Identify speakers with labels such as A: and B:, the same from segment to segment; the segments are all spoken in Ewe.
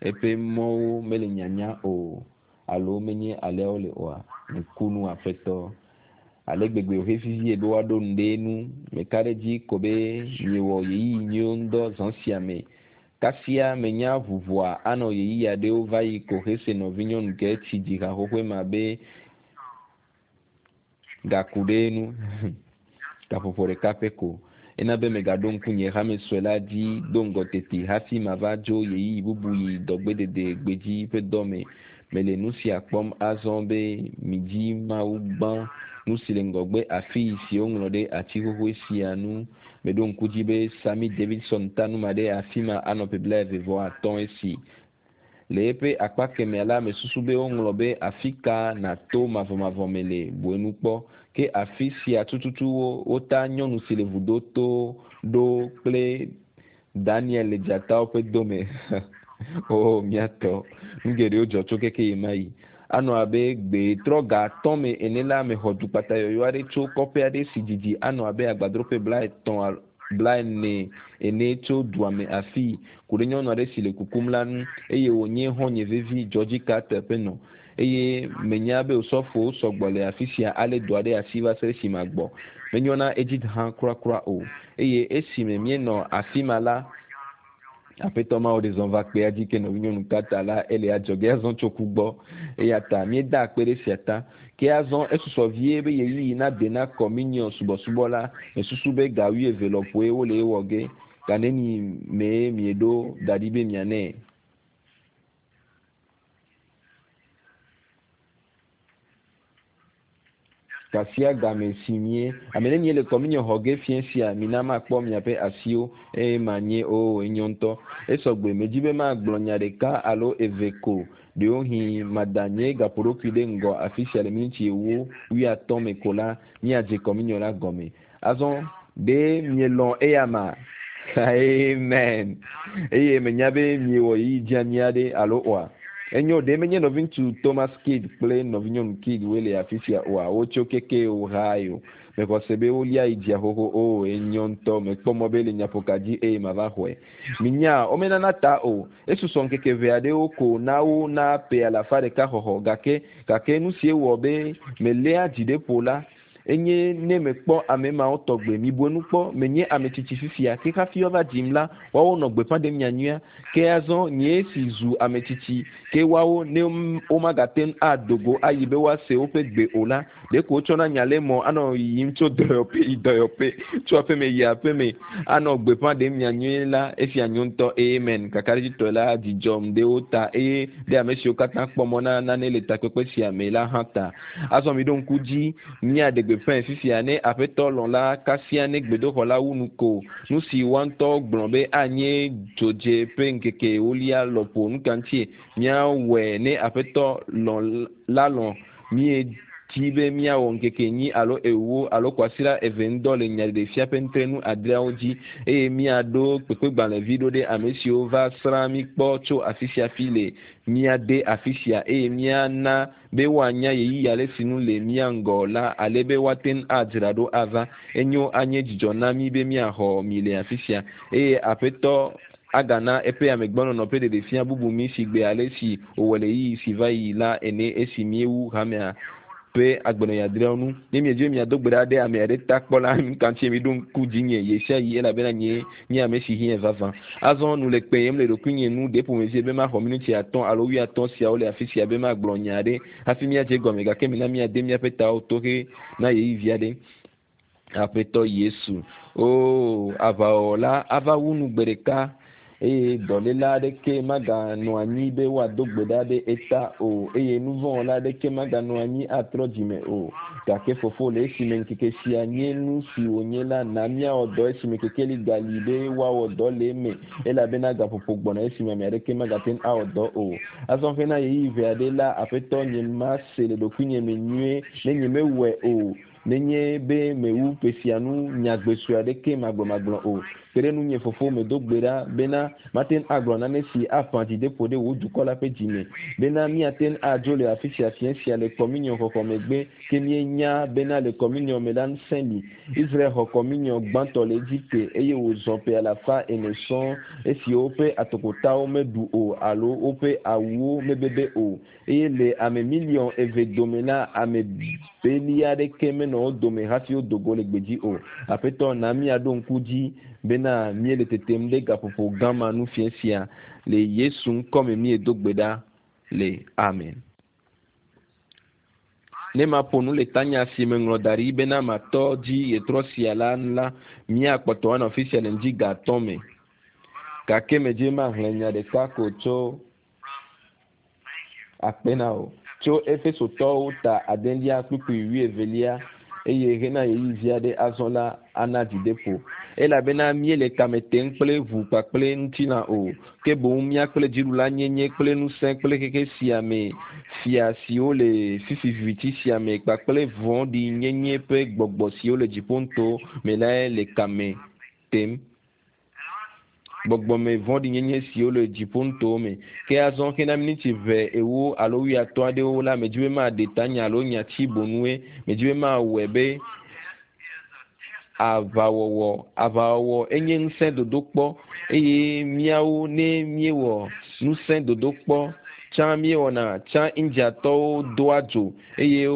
A: Eƒe mɔwo mele nyanya o, alo menye alea wole oa? Nukunu Aƒetɔ. Ale gbegbe wòhe vivie be woaɖo nu ɖe enu. Meka ɖe edzi ko be miewɔ ɣeyiɣi nyuiwo ŋudɔ zã sia me. Kasia menya ʋuʋua anɔ ɣeyiɣi aɖewo va yi ko hese nɔvinyɔnu ke tsi dzi ha xoxoe ma be gaku ɖe enu gaƒoƒo ɖeka pɛ ko. Ena be megaɖo ŋku nye hame sue la dzi do ŋgɔ teti hafi mava dzo ɣeyiɣi bubu yi dɔgbedede gbedzi ƒe dɔ me. Mele nusia kpɔm azɔ be midzi Mawu gbã, nusi le ŋgɔgbe afii si woŋlɔ ɖe ati xoxoe sia nu. Meɖo ŋku dzi be Sammy Davidson ta nu ma ɖe afima anɔ ƒe 35 esi. Le eƒe akpa kemɛa la, mesusu be woŋlɔ be Afika nàto mavɔmavɔ me le bu enu kpɔ. Ke afi sia tututu wota nyɔnu si le vudo to ɖo kple Daniel le dzatawo ƒe do me. Oo, mía tɔ, nu geɖewo dzɔ tso keke ɣemaɣi. Anɔ abe gbe trɔ ga atɔ̃ me ene la, mexɔ dukpata yɔyɔ aɖe tso kɔƒe aɖe si didi anɔ abe agbadroƒe blaetɔ̃ blaene ene tso dua me afii, ku ɖe nyɔnu aɖe si le kukum la ŋu, eye wònye xɔ̃nye vevi, Georgie Carter ƒe nɔ. Eye menya be osɔfowo sɔgbɔ le afi sia alé dɔa ɖe asi va se ɖe esime agbɔ. Menyo na Edith hã kurakura o. Eye esime míenɔ afi ma la, Aƒetɔ Mawu ɖe zɔ va kpea dzi ke nɔvinyɔnu Carter la, ele adzɔge azɔ tso ku gbɔ. Eya ta míeda akpe ɖe esia ta. Ke azɔ esusɔ vie be ɣeyiɣi nade na Kɔminiɔn subɔsubɔ la. Mesusu be ga wuieve lɔƒoe wole ewɔ ge. Ga neni mee mieɖo da ɖi be mianɛ? Gasiagame si mie ame ne miele kɔminiɔ xɔ ge fiẽ sia, mina makpɔ miaƒe asiwo, eye manye oo, enyo ŋutɔ. Esɔgbe, medzi be magblɔ nya ɖeka alo eve ko, ɖewohĩ mada nye gaƒoɖokui ɖe ŋgɔ afisia le miniti ewo, wuiatɔ̃ me ko la, míadze kɔminiɔ la gɔme. Azɔ, ɖe mielɔ̃ eyama? Amen. Eye menya be miewɔ ɣeyiɣi dzeani aɖe, alo oa? Enyo, ɖe menye nɔviŋutsu Thomas Kidd kple nɔvinyɔnu Kidd woe le afisia oa? Wotso keke Ohio. Mexɔ se be wolia yi dzia xoxo. Oo, enyo ŋutɔ. Mekpɔ mɔ be le nyaƒoka dzi eye mava xɔe. Minyaa, womenana ta o. Esusɔ ŋkeke ʋɛ aɖewo ko na wo na ƒe alafa ɖeka xɔxɔ. Gake, gake nusie wɔ be meléa dzi ɖe ƒo la, Enye ne mekpɔ ame mawo tɔgbe. Mibu enu kpɔ, menye ame tsitsi fifia, ke hafi woava dzim la, woawo nɔ gbeƒã ɖem nyanyuia. Ke azɔ, nyee si zu ame tsitsi, ke woawo, ne womagate ŋu ado go ayi be woase woƒe gbe o la, ɖeko wotsɔna nya le mɔ anɔ yiyim tso dɔyɔƒe yi dɔyɔƒe, tso aƒeme yi aƒeme, anɔ gbeƒã ɖem nyanyui la. Esia nyo ŋutɔ. Amen. Kakaɖedzitɔe la, dzi dzɔm ɖe wo ta, eye ɖe ame siwo katã kpɔ mɔ na nane le takpekpe sia me la hã ta. Azɔ miɖo ŋku dzi, míaɖe gbeƒãe fifia ne Aƒetɔ lɔ̃ la, kasia ne gbedoxɔ la wu nu ko. Nu si woa ŋutɔ gblɔ be anye dzodze ƒe ŋkeke ewolia lɔƒo. Nu ka ŋutie míawɔe ne Aƒetɔ lɔ̃ la lɔ̃? Míedi be míawɔ ŋkeke enyi alo ewo alo kwasiɖa eve ŋudɔ le Nyaɖeɖefia ƒe nutrenu adreawo dzi eye míaɖo kpekpegbalẽvi ɖo ɖe ame siwo va srã mí kpɔ tso afisiafi le mía de afisia eye míana be woanya ɣeyiɣi ale si nu le mía ŋgɔ la ale be woate ŋu adzra ɖo ava. Enyo, anye dzidzɔ na mí be míaxɔ mi le afisia. Eye Aƒetɔ agana eƒe amegbɔnɔnɔ ƒe ɖeɖefia bubu mí sigbe ale si wòwɔe le ɣeyiɣi si va yi la ene esi míewu hamea ƒe agbenɔɣi adreawo nu. Ne miedi be miado gbe ɖa ɖe ame aɖe ta kpɔ la, nuka ŋutie miɖo ŋku dzinye ɣesiaɣi elabena nyee nye ame si hiãe vavã. Azɔ nu le kpeyem le ɖokuinye nu ɖe ƒomevie be maxɔ minuti atɔ̃ alo wuiatɔ̃ siawo le afi sia be magblɔ nya aɖe hafi míadze egɔme, gake mina míade míaƒe tawo tohe na ɣeyiɣi vi aɖe. Aƒetɔ Yesu, Oo, aʋawɔwɔ la ava wu nu gbe ɖeka, eye dɔléla aɖeke maganɔ anyi be woado gbe ɖa ɖe eta o, eye nuvɔ̃wɔla aɖeke maganɔ anyi atrɔ dzime o. Gake Fofo, le esime ŋkeke sia nye nu si wònye la, na míawɔ dɔ esime kekeli gali be woawɔ dɔ le eme, elabena gaƒoƒo gbɔna esime ame aɖeke magate ŋu awɔ dɔ o. Azɔ hena ɣeyiɣi ʋɛ aɖe la, Aƒetɔ, nyemase le ɖokuinye me nyuie ne nyemewɔe o, nenye be mewu ƒe sia nu nyagbe sue aɖeke magblɔmagblɔ o. Kpe ɖe ŋunye, Fofo, medo gbe ɖa bena mate ŋu agblɔ nane si aƒã dzideƒo ɖe wò dukɔ la ƒe dzime, bena míate ŋu adzo le afi sia fiẽ sia le kɔminiɔ xɔxɔ megbe, ke míenya bena le kɔminiɔ me la ŋusẽ li. Israel xɔ kɔminiɔ gbãtɔ le Egipte eye wòzɔ ƒe alafa ene sɔŋ esi woƒe atokotawo meɖu o alo woƒe awuwo mebebe o. Eye le ame miliɔn eve dome la, ame beli aɖeke menɔ wo dome hafi wodo go le gbedzi o. Aƒetɔ, na míaɖo ŋku dzi bena míele tetem ɖe gaƒoƒo gã ma nu fiẽ sia. Le Yesu ŋkɔ me míedo gbe ɖa le amen. Ne maƒo nu le tanya si meŋlɔ da ɖi bena matɔ dzi ɣetrɔ sia la nu la, míakpɔtɔ anɔ afi sia le ŋdi ga atɔ̃ me. Gake medze maxlẽ nya ɖeka ko tso akpe na wò. Tso Efesotɔwo ta adelia kpukpui wuievelia eye hena ɣeyiɣi vi aɖe azɔ la ana dzideƒo. Elabena míele kame tem kple ʋu kpakple ŋutilã o, ke boŋ mía kple dziɖulanyenye kple ŋusẽ kple xexe sia me fia siwo le fifi viviti sia me kpakple vɔ̃ɖinyenye ƒe gbɔgbɔ siwo le dziƒonuto me lae le kame tem. Gbɔgbɔme vɔ̃ɖinyenye siwo le dziƒonutowo me. Ke azɔ hena miniti ʋɛ ewo alo wuiatɔ̃ aɖewo la, medzi be maɖe tanya alo nyati bonue. Medzi be mawɔe be aʋawɔwɔ. Aʋawɔwɔ enye ŋusẽ dodokpɔ eye míawo ne míewɔ ŋusẽ dodokpɔ tsã míewɔna tsã Indiatɔwo doa dzo eye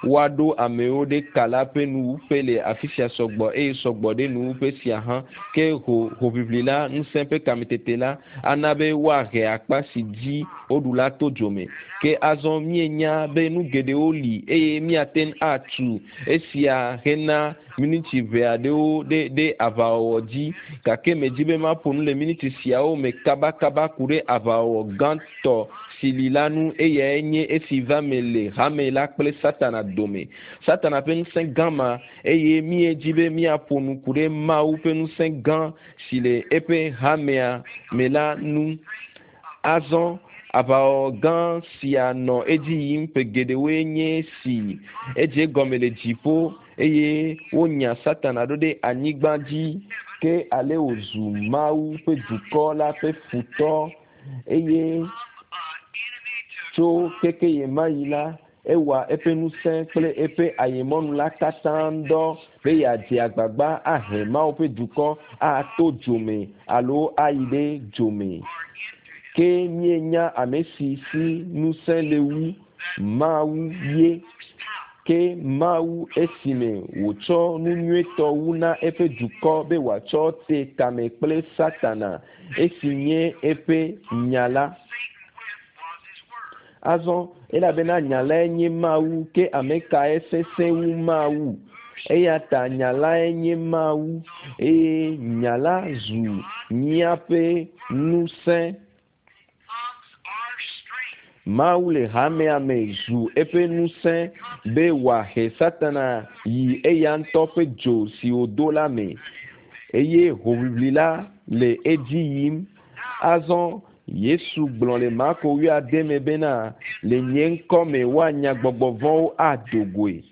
A: woaɖo amewo ɖe ka la ƒe nuwuƒe le afi sia sɔgbɔ eye sɔgbɔ ɖe nuwuƒe sia hã. Ke ho hoʋiʋli la, ŋusẽ ƒe kametete la ana be woahe akpa si dzi woɖu la to dzome. Ke azɔ míenya be nu geɖewo li eye míate ŋu atu esia hena miniti ʋɛ aɖewo ɖe ɖe aʋawɔwɔ dzi. Gake medzi be maƒo nu le miniti siawo me kabakaba ku ɖe aʋawɔwɔ gãtɔ si li la nu eyae nye esi va me le hame la kple Satana dome. Satana ƒe ŋusẽ gã ma eye míedzi be míaƒo nu ku ɖe Mawu ƒe ŋusẽ gã si le eƒe hamea me la nu. Azɔ aʋawɔwɔ gã sia nɔ edzi yim ƒe geɖewoe nye si edze gɔme le dziƒo eye wonya Satana ɖo ɖe anyigba dzi ke ale wòzu Mawu ƒe dukɔ la ƒe futɔ eye tso keke ɣemaɣi la, ewɔa eƒe ŋusẽ kple eƒe ayemɔnu la katã ŋdɔ be yeadze agbagba ahe Mawu ƒe dukɔ ato dzome alo ayi ɖe dzome. Ke míenya ame si si ŋusẽ le wu Mawu ye. Ke Mawu esime wòtsɔ nu nyuietɔ wu na eƒe dukɔ be wòatsɔ te kame kple Satana esi nye eƒe nya la. Azɔ elabena nya lae nye Mawu ke ame kae sesẽ wu Mawu? Eya ta nya lae nye Mawu eye nya la zu míaƒe ŋusẽ. Mawu le hamea me zu eƒe ŋusẽ be wòahe Satana yi eya ŋutɔ ƒe dzo si wòdo la me eye hoʋiʋli la le edzi yim. Azɔ Yesu gblɔ le Marko wuiade me bena le nye ŋkɔ me woanya gbɔgbɔ vɔ̃wo ado goe.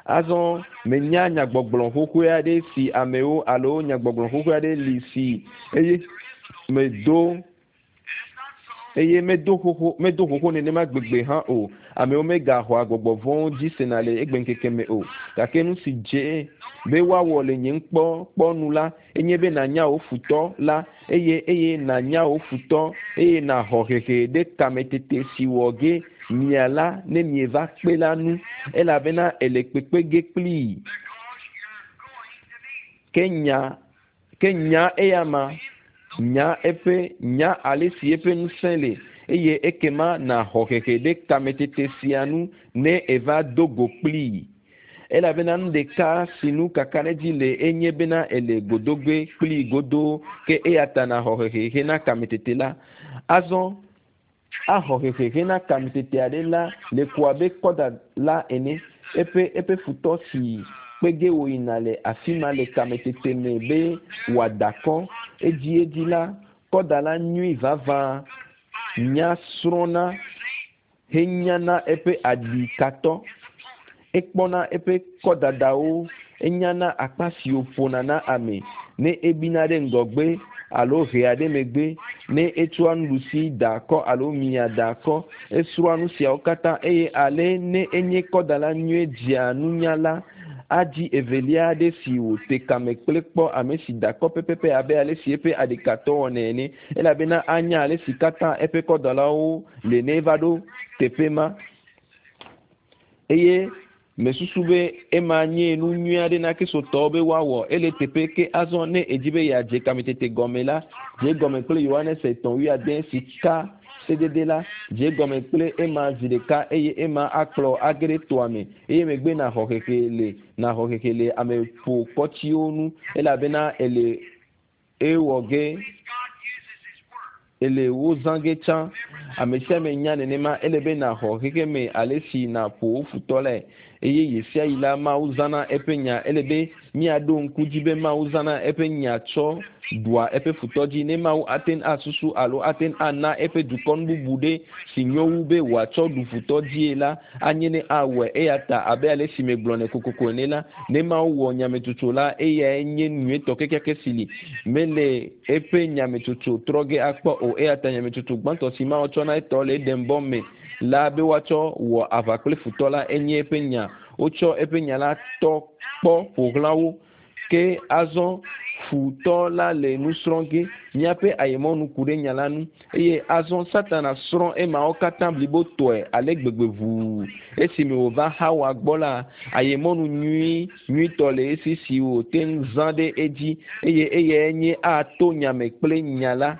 A: Azɔ menya nyagbɔgblɔ xoxoe aɖe si amewo alo nyagbɔgblɔ xoxoe aɖe li si eye medo eye medo xoxo medo xoxo nenema gbegbe hã o. Amewo megaxɔa gbɔgbɔ vɔ̃wo dzi sena le egbeŋkeke me o. Gake nu si dze be woawɔ le nye ŋkpɔkpɔ nu la enye be nànya wò futɔ la eye eye nànya wò futɔ eye nàxɔ hehe ɖe kametete si wɔ ge mia la ne mieva kpe la nu elabena ele kpekpe ge kplii. Ke nya ke nya eya ma nya eƒe nya ale si eƒe ŋusẽ le eye ekema nàxɔ hehe ɖe kametete sia nu ne eva do go kplii. Elabena nu ɖeka si nu kakaɖedzi le enye bena ele godogbe kplii godoo ke eya ta nàxɔ hehe hena kametete la. Azɔ axɔ hehe hena kametete aɖe la le ko abe kɔda la ene. Eƒe eƒe futɔ si kpe ge wòyina le afi ma le kametete me be wòada kɔ edziedzi la, kɔda la nyui vavã nya srɔ̃na henyana eƒe aɖikatɔ. Ekpɔna eƒe kɔdadawo, enyana akpa si wòƒona na ame. Ne ebina ɖe ŋgɔgbe alo hea ɖe megbe, ne etsɔa nuɖusi da akɔ alo mia da akɔ, esrɔ̃a nu siawo katã eye ale ne enye kɔdala nyuie dzea nunya la, adzi evelia aɖe si wòte kame kple kpɔ ame si da akɔ pɛpɛpɛ abe ale si eƒe aɖikatɔ wɔnɛ ene elabena anya ale si katã eƒe kɔdalawo le ne eva ɖo teƒe ma. Eye mesusu be ema nye nu nyui aɖe na kristotɔwo be woawɔ ele teƒe ke azɔ ne edzi be yeadze kametete gɔme la dze gɔme kple yohanes etɔ̃ wuiade si ka sedede la dze gɔme kple ema zi ɖeka eye ema akplɔ age ɖe toa me eye megbe naxɔ xexe le naxɔ xexe le ame ƒo kɔtsiwo nu elabena ele ewɔ ge ele wo zã ge tsã ame sia ame nya nenema ele be naxɔ xexe me ale si naƒo wo futɔ lae eye ɣe sia ɣi la mawu zãna eƒe nya ele be míaɖo ŋku dzi be mawu zãna eƒe nya tsɔ ɖua eƒe futɔ dzi ne mawu ate ŋu asusu alo ate ŋu ana eƒe dukɔ nu bubu ɖe si nyo wu be wòatsɔ ɖu futɔ dzie la anye ne awɔe eya ta abe ale si megblɔ kokoko ene la ne mawu wɔ nyametsotso la eyae nye nyuietɔ kekeake si li mele eƒe nyametsotso trɔ ge akpɔ o eya ta nyametsotso gbãtɔ si mawu tsɔ na etɔ le eɖembɔ me la be woatsɔ wɔ aʋa kple futɔ la enye eƒe nya wotsɔ eƒe nya la tɔ kpɔ ƒo xlã wo ke azɔ futɔ la le nu srɔ̃ ge míaƒe ayemɔnu ku ɖe nya la nu eye azɔ satana srɔ̃ emawo katã blibo tɔe ale gbegbe ʋuu esime wòva hawa gbɔ la ayemɔnu nyui nyuitɔ le esi si wòte ŋu zã ɖe edzi eye eyae nye ato nyame kple nya la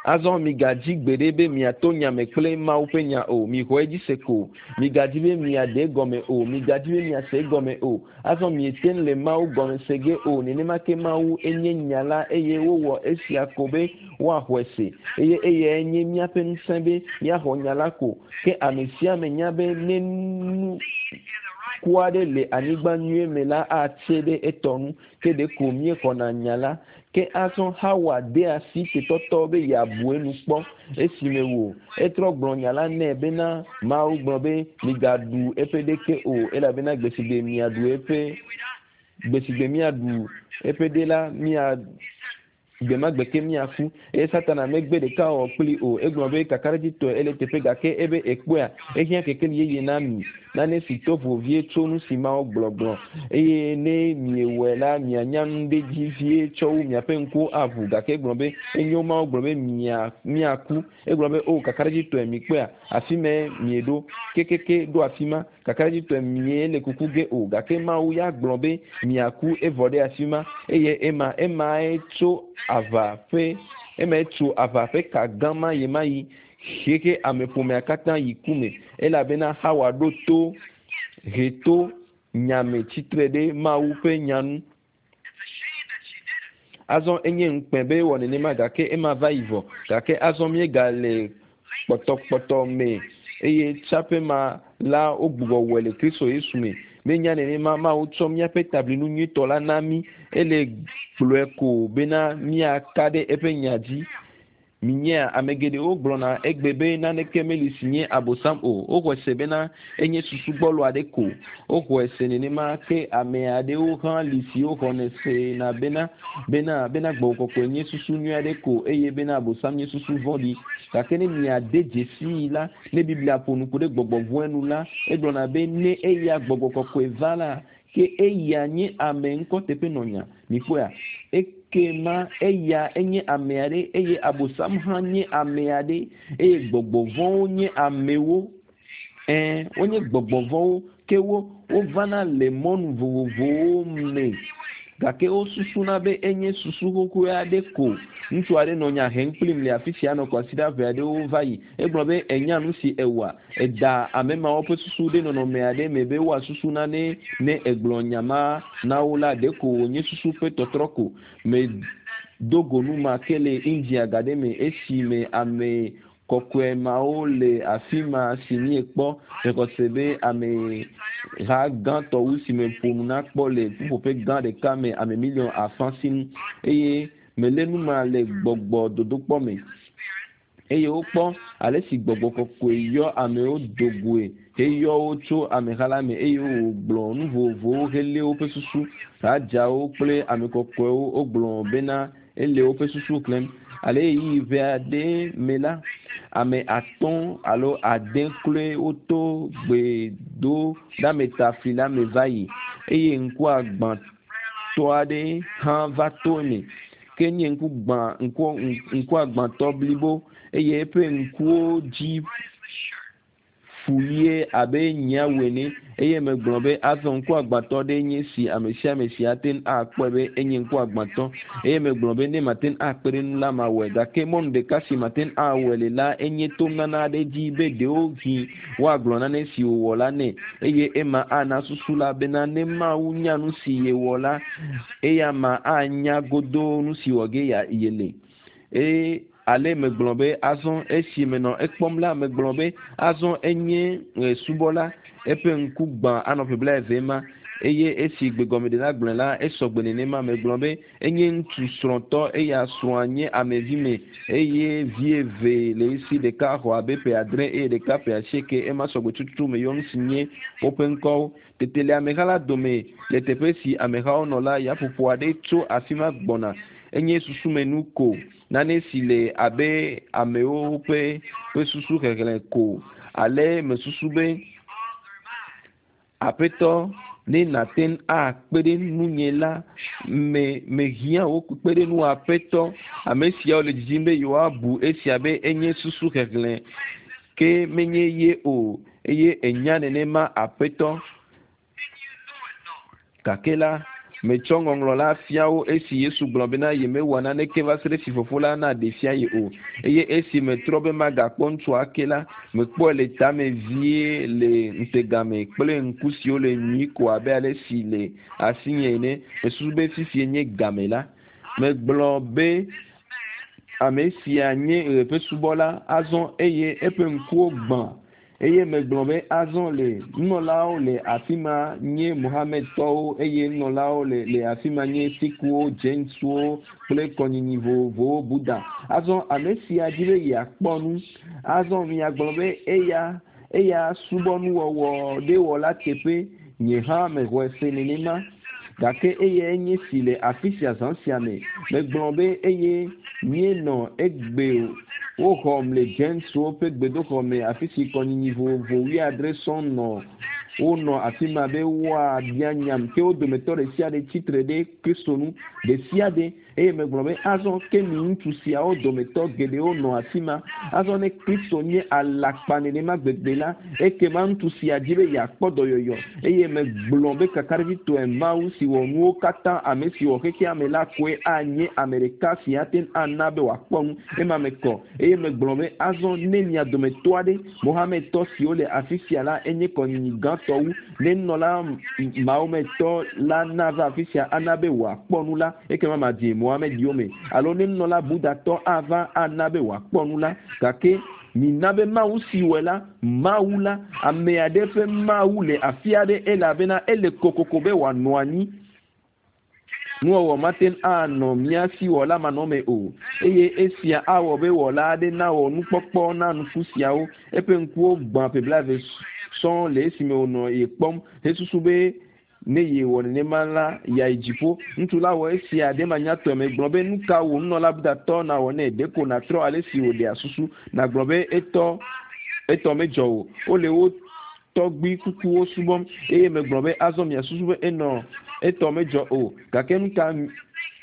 A: azɔ migadzi gbeɖe be miato nyame kple mawu ƒe nya o. Mixɔ edzi se ko. Migadzi be miaɖe gɔme o. Migadzi be miase gɔme o. Azɔ miete ŋu le mawu gɔme se ge o. Nenema ke mawu enye nya la eye wowɔ esia ko be woaxɔe se. Eye eyae nye míaƒe ŋusẽ be míaxɔ nya la ko. Ke ame sia ame nya be ne nu ku aɖe le anyigba nyuie me la atse ɖe etɔ nu. Ke ɖeko míexɔna nya la ke azɔ hawa de asi tetɔtɔ be yeabu enu kpɔ esime wò etrɔ gblɔ nya la nɛ bena mawu gblɔ be migaɖu eƒe ɖeke o elabena gbesigbe miaɖu eƒe gbesigbe miaɖu eƒe ɖe la mia gbe ma gbe ke miaku eye satana megbe ɖeka wɔ kpli o. Egblɔ be kakaɖedzitɔe ele teƒe gake ebe ekpɔea ehiã kekeli yeye na mi. Nane si to vo vie tso nu si mawo gblɔgblɔ. Eye ne miewɔe la mianya nu ɖe dzi vie tsɔ wu miaƒe ŋkuwo aʋu. Gake egblɔ be enyo mawo gblɔ be mia miaku. Egblɔ be o kakaɖedzitɔe mikpɔea afi me mieɖo. Kekeke ɖo afi ma kakaɖedzitɔe mie le kuku ge o gake mawu ya gblɔ be miaku evɔ ɖe afi ma eye ema emae tso aʋa ƒe emae tso aʋa ƒe ka gã ma yi ma yi xexe ameƒomea katã yi ku me elabena hawa ɖo to he to nyame tsitre ɖe mawu ƒe nya nu. Azɔ enye ŋukpe be wɔ nenema gake ema va yi vɔ gake azɔ míegale kpɔtɔkpɔtɔ me eye tsaƒe ma la wogbugbɔ wɔe le kristo yesu me. Míenya nenema mawu tsɔ míaƒe tablinu nyuitɔ la na mí. Ele gblɔe ko bena míaka ɖe eƒe nya dzi. Minyea ame geɖewo gblɔna egbe be naneke meli si nye abosam o. Woxɔe se bena enye susu gbɔlo aɖe ko. Woxɔe se nenema ke ame aɖewo hã li siwo xɔnɛ sena bena bena bena gbɔgbɔ kɔkɔe nye susu nyui aɖe ko eye bena abosam nye susu vɔ̃ɖi. Gake ne miade dzesii la ne biblia ƒo nu ku ɖe gbɔgbɔ vɔ̃e nu la egblɔna be ne eya gbɔgbɔ kɔkɔe va la ke eya nye ame ŋkɔ teƒe nɔnya mikpɔea ekema eya enye ame aɖe eye abosam hã nye ame aɖe eye gbɔgbɔ vɔ̃wo nye amewo. Ɛɛ wonye gbɔgbɔ vɔ̃wo ke wo wovana le mɔnu vovovowo me. Gake wosusuna be enye susu xoxoe aɖe ko. Ŋutsu aɖe nɔ nya hem kplim le afi sia nɔ kwasiɖa ʋɛ aɖewo va yi. Egblɔ be enya nu si ewɔa eda ame mawo ƒe susu ɖe nɔnɔme aɖe me be woasusu nane ne egblɔ nya ma na wo la ɖeko wònye susu ƒe tɔtrɔ ko. Medo go nu ma ke le india ga ɖe me esime ame kɔkɔe mawo le afi ma si míekpɔ mexɔ be ame ha gãtɔ wu si me ƒo nu na kpɔ le ƒuƒoƒe gã ɖeka me ame miliɔn afã sinu eye melé nu ma le gbɔgbɔ dodokpɔ me. Eye wokpɔ ale si gbɔgbɔ kɔkɔe yɔ amewo do goe heyɔ wo tso ameha la me eye wògblɔ nu vovovowo helé woƒe susu. Radzawo kple ame kɔkɔewo wogblɔ bena ele woƒe susu xlẽm. Ale ɣeyiɣi ʋɛ aɖe me la, ame atɔ̃ alo ade kloe woto gbedoɖameta fli la me va yi eye ŋkuagbãtɔ aɖe hã va to eme. Ke nye ŋku gbã ŋku ŋkuagbãtɔ blibo eye eƒe ŋkuwo dzi fu ɣie abe nyiawu ene eye megblɔ be azɔ ŋkuagbãtɔ ɖe nye si ame sia ame si ate ŋu akpɔe be enye ŋkuagbãtɔ eye megblɔ be ne mate ŋu akpe ɖe nu la mawɔe gake mɔnu ɖeka si mate ŋu awɔe le la enye to nana aɖe dzi be ɖewohĩ woagblɔ nane si wòwɔ la nɛ eye ema ana susu la bena ne Mawu nya nu si yewɔ la eya ma anya godoo nu si wɔ ge ya yele eye ale megblɔ be azɔ esi menɔ ekpɔm la megblɔ be azɔ enye subɔla eƒe ŋku gbã anɔ ƒe blaeve ma eye esi gbegɔmeɖela gblɔe la esɔgbe nenema megblɔ be enye ŋutsu srɔ̃tɔ eya srɔ̃a nye amevi me eye vi eve le esi ɖeka xɔ abe ƒe adre eye ɖeka ƒe asieke ema sɔgbe tututu meyɔ nu si nye woƒe ŋkɔwo tete le ameha la dome le teƒe si amehawo nɔ la yaƒoƒo aɖe tso afi ma gbɔna enye susumenu ko nane si le abe amewo ƒe ƒe susu xexlẽ ko ale mesusu be aƒetɔ ne nàte ŋu akpe ɖe nunye la me mehiã wò kpekpeɖeŋu aƒetɔ ame siawo le didim be yewoabu esia be enye susu xexlẽ ke menye ye o eye enya nenema aƒetɔ gake la metsɔ ŋɔŋlɔ la fia wo esi Yesu gblɔ bena yemewɔ naneke va se ɖe esi fofo la naɖe fia ye o eye esi metrɔ be magakpɔ ŋutsua ake la mekpɔe le tame vie le ŋutega me kple ŋku siwo le nyui ko abe ale si le asinye ene mesusu be fifie nye game la megblɔ be ame sia nye ɣe ƒe subɔla azɔ eye eƒe ŋkuwo gbã eye megblɔ be azɔ le nunɔlawo le afi ma nye Mohamedtɔwo eye nunɔlawo le le afi ma nye Sikhuwo, Jainsuwo kple kɔnyinyi vovovowo Buddha. Azɔ ame sia di be yeakpɔ nu. Azɔ miagblɔ be eya eya subɔ nuwɔwɔ ɖe wɔla teƒe nye hã mexɔe se nenema. Gake eyae nye si le afi sia zã sia me. Megblɔ be eye míenɔ egbe woxɔm le Jainsuwo ƒe gbedoxɔ me afi si kɔnyinyi vovovo wuiadre sɔŋ nɔ wonɔ afi ma be woabia nyam ke wo dometɔ ɖe sia ɖe tsitre ɖe Kristo nu ɖe sia ɖe eye megblɔ be azɔ ke mi ŋutsu siawo dometɔ geɖewo nɔ afi ma azɔ ne Kristo nye alakpa nenema gbegbe la ekema ŋutsu sia dzi be yeakpɔ dɔyɔyɔ eye megblɔ be kakaɖedzitɔe Mawu si wɔ nuwo katã ame si wɔ xexea me la koe anye ame ɖeka si ate ŋu ana be wòakpɔ nu ema me kɔ eye megblɔ be azɔ ne mia dometɔ aɖe Mohamedtɔ siwo le afi sia la enye kɔnyinyi gãtɔ wu ne nunɔla Mahometɔ la nava afi sia ana be wòakpɔ nu la ekema madze Mohamed yome alo ne nunɔla Buddhatɔ ava ana be wòakpɔ nu la gake mina be Mawu si wɔe la Mawu la ame aɖe ƒe Mawu le afi aɖe elabena ele kokoko be wòanɔ anyi nuwɔwɔ mate ŋu anɔ mía si wɔla manɔme o eye esia awɔ be wɔla aɖe nawɔ nukpɔkpɔ na nuku siawo eƒe ŋkuwo gbã ƒe blaeve sɔŋ le esime wònɔ ye kpɔm hesusu be ne yewɔ nenema la yeayi dziƒo ŋutsu la wɔ esia ɖe manyatɔe megblɔ be nu ka wò nunɔla Buddhatɔ nawɔ nɛ ɖeko nàtrɔ ale si wòɖea susu nàgblɔ be etɔ etɔ medzɔ o wole wo tɔgbui kukuwo subɔm eye megblɔ be azɔ miasusu be enɔ etɔ medzɔ o gake nu ka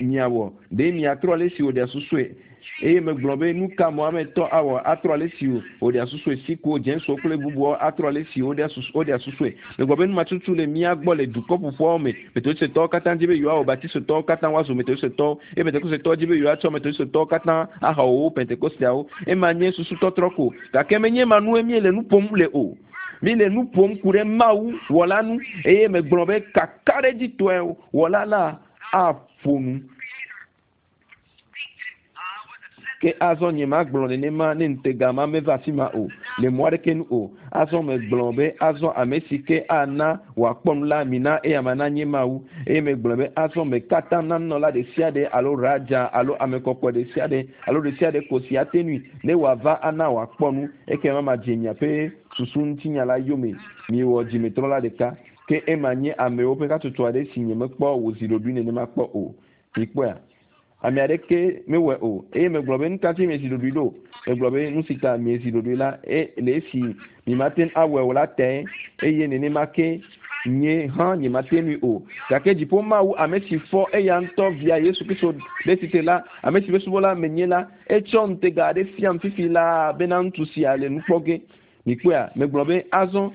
A: miawɔ ɖe miatrɔ ale si wòɖea susue eye megblɔ be nu ka Mohamedtɔ awɔ atrɔ ale si wòɖea susue Sikhuwo, Jainsuwo kple bubuawo atrɔ ale si woɖea susu woɖea susue megblɔ be numatutu le mía gbɔ le dukɔ ƒoƒuawo me Metodistetɔwo katã dzi be yewoawɔ Baptistɔwo katã woazu Metodistetɔwo eye Pentekosetɔwo dzi be yewoatsɔ Metodistetɔwo katã ahawɔ wo Pentekosteawo ema nye susu tɔtrɔ ko gake menye ema nue míele nu ƒom le o míele nu ƒom ku ɖe Mawu wɔla nu eye megblɔ beakaɖedzitɔe wɔla la aƒo nu. Ke azɔ nyemagblɔ nenema ne ŋutega ma meva afi ma o, le mɔ aɖeke nu o. Azɔ megblɔ be azɔ ame si ke ana wòakpɔ nu la, mina eyama nanye Mawu. Eye megblɔ be azɔ meka atam na nunɔla ɖe sia ɖe alo raja alo ame kɔkɔe ɖe sia ɖe alo ɖe sia ɖe ko si ate ŋui ne wòava ana wòakpɔ nu. Ekema madze miaƒe susu ŋutinya la yome. Miwɔ dzimetrɔla ɖeka. Ke ema nye amewo ƒe hatsotso aɖe si nyemekpɔ wòzi ɖoɖoe nenema kpɔ o. Mikpɔea? Ame aɖeke mewɔe o. Eye megblɔ be, Nu ka ŋuti miezi ɖoɖoe ɖo? Megblɔ be, Nu si ta miezi ɖoɖoe la, e, le esi mimate ŋu awɔe o la tae, eye nenema ke nye hã nyemate ŋui o. Gake dziƒo Mawu, ame si fɔ eya ŋutɔ Via Yesu Kristo ɖe tsitre la, ame si ƒe subɔla menye la, etsɔ ŋutega aɖe fiam fifi laa bena ŋutsu sia le nu kpɔ ge. Mikpɔea? Megblɔ be, Azɔ,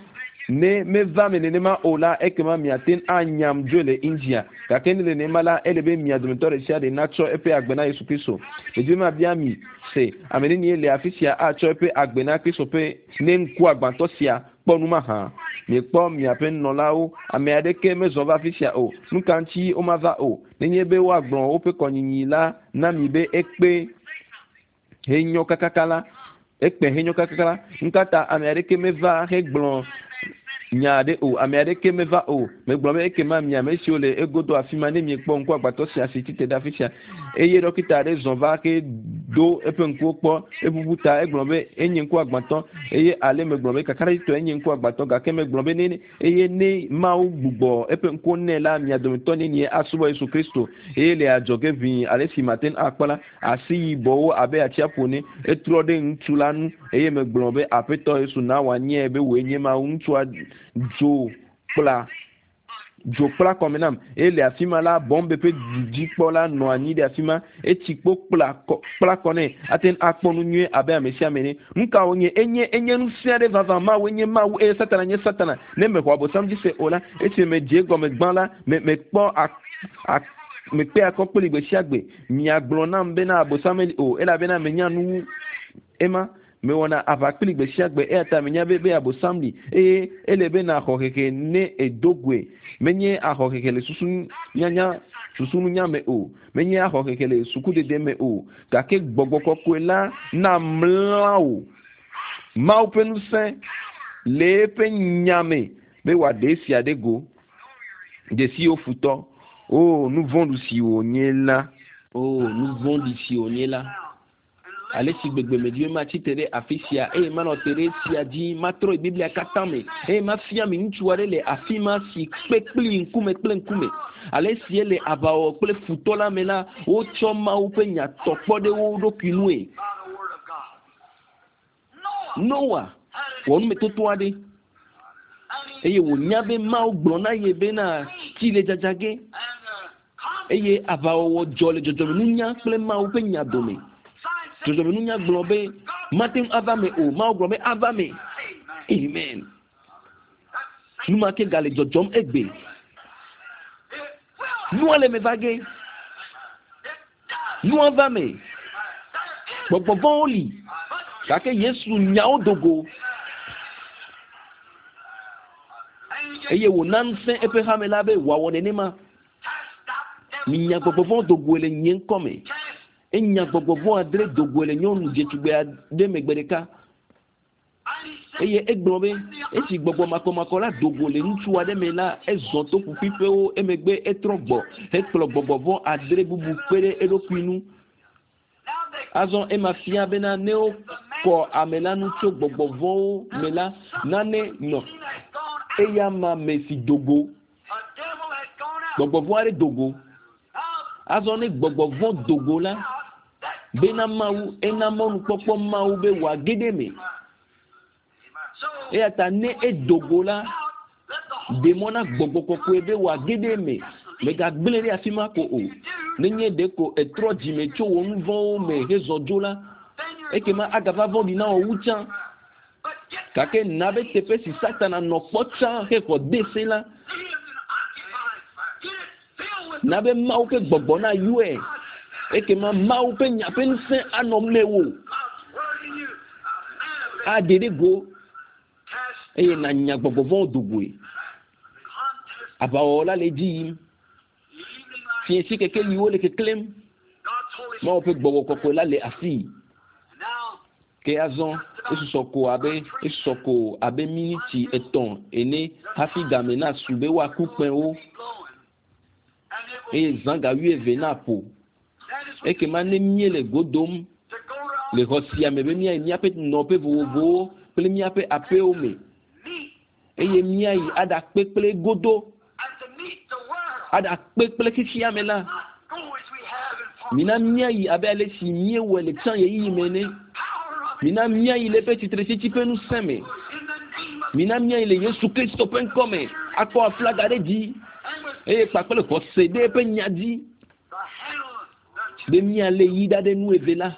A: ne meva me nenema o la, ekema miate ŋu anyam dzoe le India. Gake ne nenema la, ele be mia dometɔ ɖe sia ɖe natsɔ eƒe agbe na Yesu Kristo. Medi be mabia mi se, ame nenie le afi sia atsɔ eƒe agbe na Kristo ƒe ne ŋkuagbãtɔ sia kpɔ nu mahã? Miekpɔ miaƒe nunɔlawo, ame aɖeke mezɔ va afi sia o. Nuka ŋuti womava o? Nenye be woagblɔ woƒe kɔnyinyi la na mi be ekpe henyɔ kakaka la, ekpẽ henyɔ kakaka la, nukata ame aɖeke meva hegblɔ nya aɖe o, ame aɖeke meva o. Megblɔ be ekema mi ame siwo le egodo afi ma, ne miekpɔ ŋku agbatɔ sia si tsitre ɖe afi sia, eye ɖɔkita aɖe zɔ va ke do eƒe ŋkuwo kpɔ, eʋuʋu ta, egblɔ be enye ŋku agbatɔ, eye ale megblɔ be kakaɖedzitɔe enye ŋku agbatɔ, gake megblɔ be ne Eye ne Mawu gbugbɔ eƒe ŋkuwo nɛ la, mia dometɔ nenie asubɔ Yesu Kristo? Eye le adzɔge ʋĩi ale si mate ŋu akpɔ la, asi yibɔwo abe atsiaƒu ene. Etrɔ ɖe ŋutsu la ŋu, eye megblɔ be, Aƒetɔ Yesu, na wòanyae be wòe nye Mawu. Ŋutsua dzo kpla dzo kpla kɔme nam. Eye le afi ma la, bɔmbe ƒe dudzikpɔla nɔ anyi ɖe afi ma. Etsi kpo kpla kɔ, kpla kɔ nɛ. Ate ŋu akpɔ nu nyuie abe ame sia ame ene. Nu ka wònye? Enye, enye ŋusẽ aɖe vavã. Mawue nye Mawu eye Satana nye Satana. Ne mexɔ Abosam dzi se o la, esime medze egɔme gbã la, me, mekpɔ a, a, mekpe akɔ kpli gbe sia gbe. Miagblɔ nam bena Abosam meli o, elabena menya nu wu ema. Mewɔna aʋa kpli gbe sia gbe, eya ta menya be, be Abosam li eye ele be nàxɔ hehe ne èdo goe. Menye axɔ hehe le susu nyanya, susununya me o. Menye axɔ hehe le sukudede me o. Gake gbɔgbɔ kɔkɔe la namla wò. Mawu ƒe ŋusẽ le eƒe nya me be wòaɖe esia ɖe go. Dzesi wo futɔ. O, nu vɔ̃ɖi si wònye la. O, nu vɔ̃ɖi si wònye la. Ale si gbegbe medi be matsi te ɖe afi sia eye manɔ te ɖe esia dzi, matrɔ yi Biblia katã me eye mafia mi ŋutsu aɖe le afi ma si kpe kpli ŋkume kple ŋkume. Ale si ele aʋawɔwɔ kple futɔ la me la, wotsɔ Mawu ƒe nya tɔ kpɔ ɖe wo ɖokui nue. Noa wɔ numetoto aɖe eye wònya be Mawu gblɔ na ye bena tsi le dzadza ge eye aʋawɔwɔ dzɔ le dzɔdzɔmenunya kple Mawu ƒe nya dome. Dzɔdzɔmenunya gblɔ be mate ŋu ava me o, Mawu gblɔ be ava me. Amen. Nu ma ke gale dzɔdzɔm egbe. Nua le me va ge. Nua va me. Gbɔgbɔ vɔ̃wo li, gake Yesu nya wo do go eye wòna ŋusẽ eƒe hame la be wòawɔ nenema. Minya gbɔgbɔ vɔ̃ do goe le nye ŋkɔ me. Enya gbɔgbɔ vɔ̃ adre do goe le nyɔnu dzetugbe aɖe me gbe ɖeka. Eye egblɔ be, esi gbɔgbɔ makɔmakɔ la do go le ŋutsu aɖe me la, ezɔ to ƒuƒuiƒewo, emegbe etrɔ gbɔ hekplɔ gbɔgbɔ vɔ̃ adre bubu kpe ɖe eɖokui ŋu. Azɔ ema fia bena ne wokɔ ame la ŋu tso gbɔgbɔ vɔ̃wo me la, nane nɔ eyama me si do go. Gbɔgbɔ vɔ̃ aɖe do go. Azɔ ne gbɔgbɔ vɔ̃ do go la, bena Mawu ena mɔnukpɔkpɔ Mawu be wòage ɖe eme. Eya ta ne edo go la, ɖe mɔ na gbɔgbɔ kɔkɔe be wòage ɖe eme. Mègagblẽe ɖe afi ma ko o. Nenye ɖeko ètrɔ dzime tso wò nu vɔ̃wo me hezɔ dzo la, ekema agava vɔ̃ɖi na wò wu tsã. Gake na be teƒe si Satana nɔ kpɔ tsã hexɔ de se la, Na be Mawu ƒe gbɔgbɔ nayɔe. Ekema Mawu ƒe nya ƒe ŋusẽ anɔ mewò. Aɖe ɖe go eye nànya gbɔgbɔ vɔ̃wo do goe. Aʋawɔwɔ la le edzi yim. Fiẽsi kekeliwo le keklẽm. Mawu ƒe gbɔgbɔ kɔkɔe la le afii. Ke azɔ esusɔ ko abe esusɔ ko abe miniti etɔ̃ ene hafi game nasu be woaku kpẽwo eye zã ga wuieve naƒo. Ekema ne míele go dom le xɔ sia me be míayi míaƒe nɔƒe vovovowo kple míaƒe aƒewo me eye míayi aɖakpe kple godo aɖakpe kple xexea me la, mina míayi abe ale si míewɔe le tsã ɣeyiɣi me ene. Mina míayi le eƒe tsitretsitsi ƒe ŋusẽ me. Mina míayi le Yesu Kristo ƒe ŋkɔ me akɔ aflaga ɖe dzi eye kpakple xɔse ɖe eƒe nya dzi be míalé yi ɖa ɖe nu eve la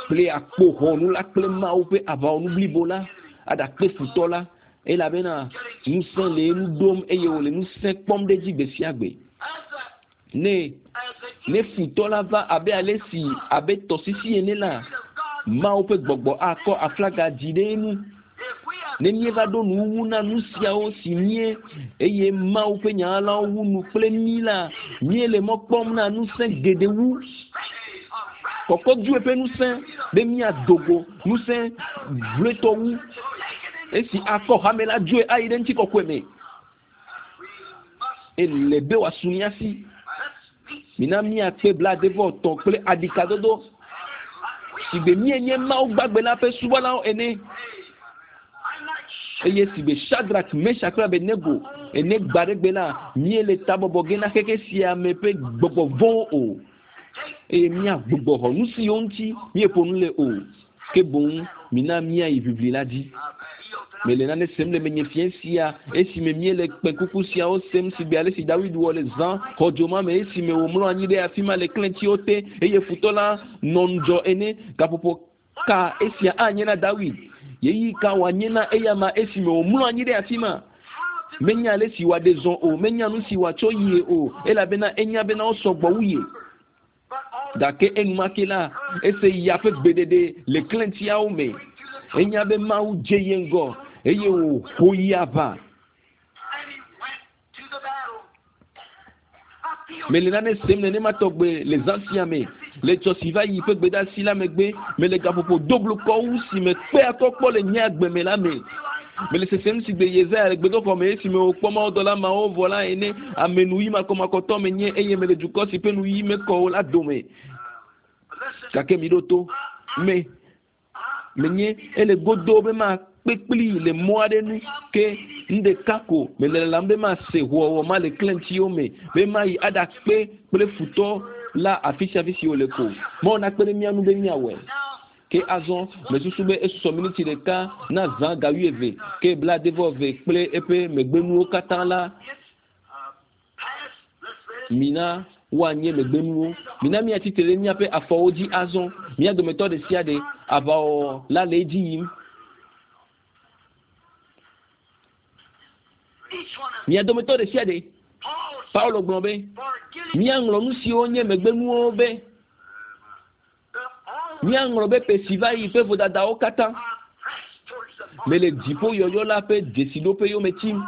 A: kple akpoxɔnu la kple Mawu ƒe aʋawɔnu blibo la aɖakpe futɔ la elabena ŋusẽ le enu ɖom eye wòle ŋusẽ kpɔm ɖe edzi gbe sia gbe. Ne ne futɔ la va abe ale si abe tɔsisi ene la, Mawu ƒe gbɔgbɔ akɔ aflaga dzi ɖe enu. Ne míeva ɖo nuwuwu na nu siawo si mie eye Mawu ƒe nya ɣaɣlawo wu nu kple mí la, míele mɔ kpɔm na ŋusẽ geɖe wu. Kɔkɔdue ƒe ŋusẽ be míado go ŋusẽ vloetɔ wu esi akɔ hame la dzoe ayi ɖe ŋutikɔkɔe me. Ele be wòasu mía si. Mina míakpe blaade-vɔ-etɔ̃ kple aɖikadodo sigbe míenye Mawu gbagbe la ƒe subɔlawo ene. Eye sigbe Shadrak, Meshak kple Abednego ene gbaɖegbe la, míele tabɔbɔ ge na xexe sia me ƒe gbɔgbɔ vɔ̃wo o. Eye míagbugbɔ xɔ nu siwo ŋuti míeƒo nu le o, ke boŋ mina míayi ʋiʋli la dzi. Mele nane sem le menye fiẽ sia, esime míele kpẽkuku siawo sem sigbe ale si Dawid wɔ le zã xɔdzo ma me esime wòmlɔ anyi ɖe afi ma le klẽtiwo te eye futɔ la nɔ ŋudzɔ ene. Gaƒoƒo ka esia anye na Dawid? Ɣeyiɣi ka wòanye na eyama esime wòmlɔ anyi ɖe afi ma? Menya ale si wòaɖe zɔ o, menya nu si wòatsɔ yie o, elabena enya bena wosɔ gbɔ wu ye. Gake enumake la, ese ya ƒe gbeɖeɖe le klẽtiawo me. Enya be Mawu dze ye ŋgɔ eye wòho yi aʋa. Mele nane sem nenema tɔgbe le zã sia me. Le tsɔ si va yi ƒe gbedeasi la megbe, mele gaƒoƒo doblukɔ wu si me kpe akɔ kpɔ le nye agbe me la me. Mele sesem sigbe Yesaya le gbedoxɔ me esime wòkpɔ mawudɔla mawo vɔ la ene. Ame nuyi makɔmakɔtɔ menye eye mele dukɔ si ƒe nuyi mekɔ o la dome. Gake miɖo to. Me. Menye ele godoo be makpe kplii le mɔ aɖe nu, ke nu ɖeka ko mele lalam be mase hoɔwɔ ma le klẽtiwo me, be mayi aɖakpe kple futɔ la afi sia afi si wòle ko. Mawu nakpe ɖe mía ŋu be míawɔe. Ke azɔ, mesusu be esusɔ miniti ɖeka na zã ga wuieve, ke blaade-vɔ-eve kple eƒe megbenuwo katã la, Mina woanye megbenuwo. Mina míatsi tre ɖe míaƒe afɔwo dzi azɔ. Mía dometɔ ɖe sia ɖe, aʋawɔwɔ la le edzi yim. Mia dometɔ ɖe sia ɖe. Paulo gblɔ be, Míaŋlɔ nu siwo nye megbenuwo be. Míaŋlɔ be ƒe si va yi ƒe vodadawo katã. Mele dziƒo yɔyɔ la ƒe dzesiɖoƒe yome tim.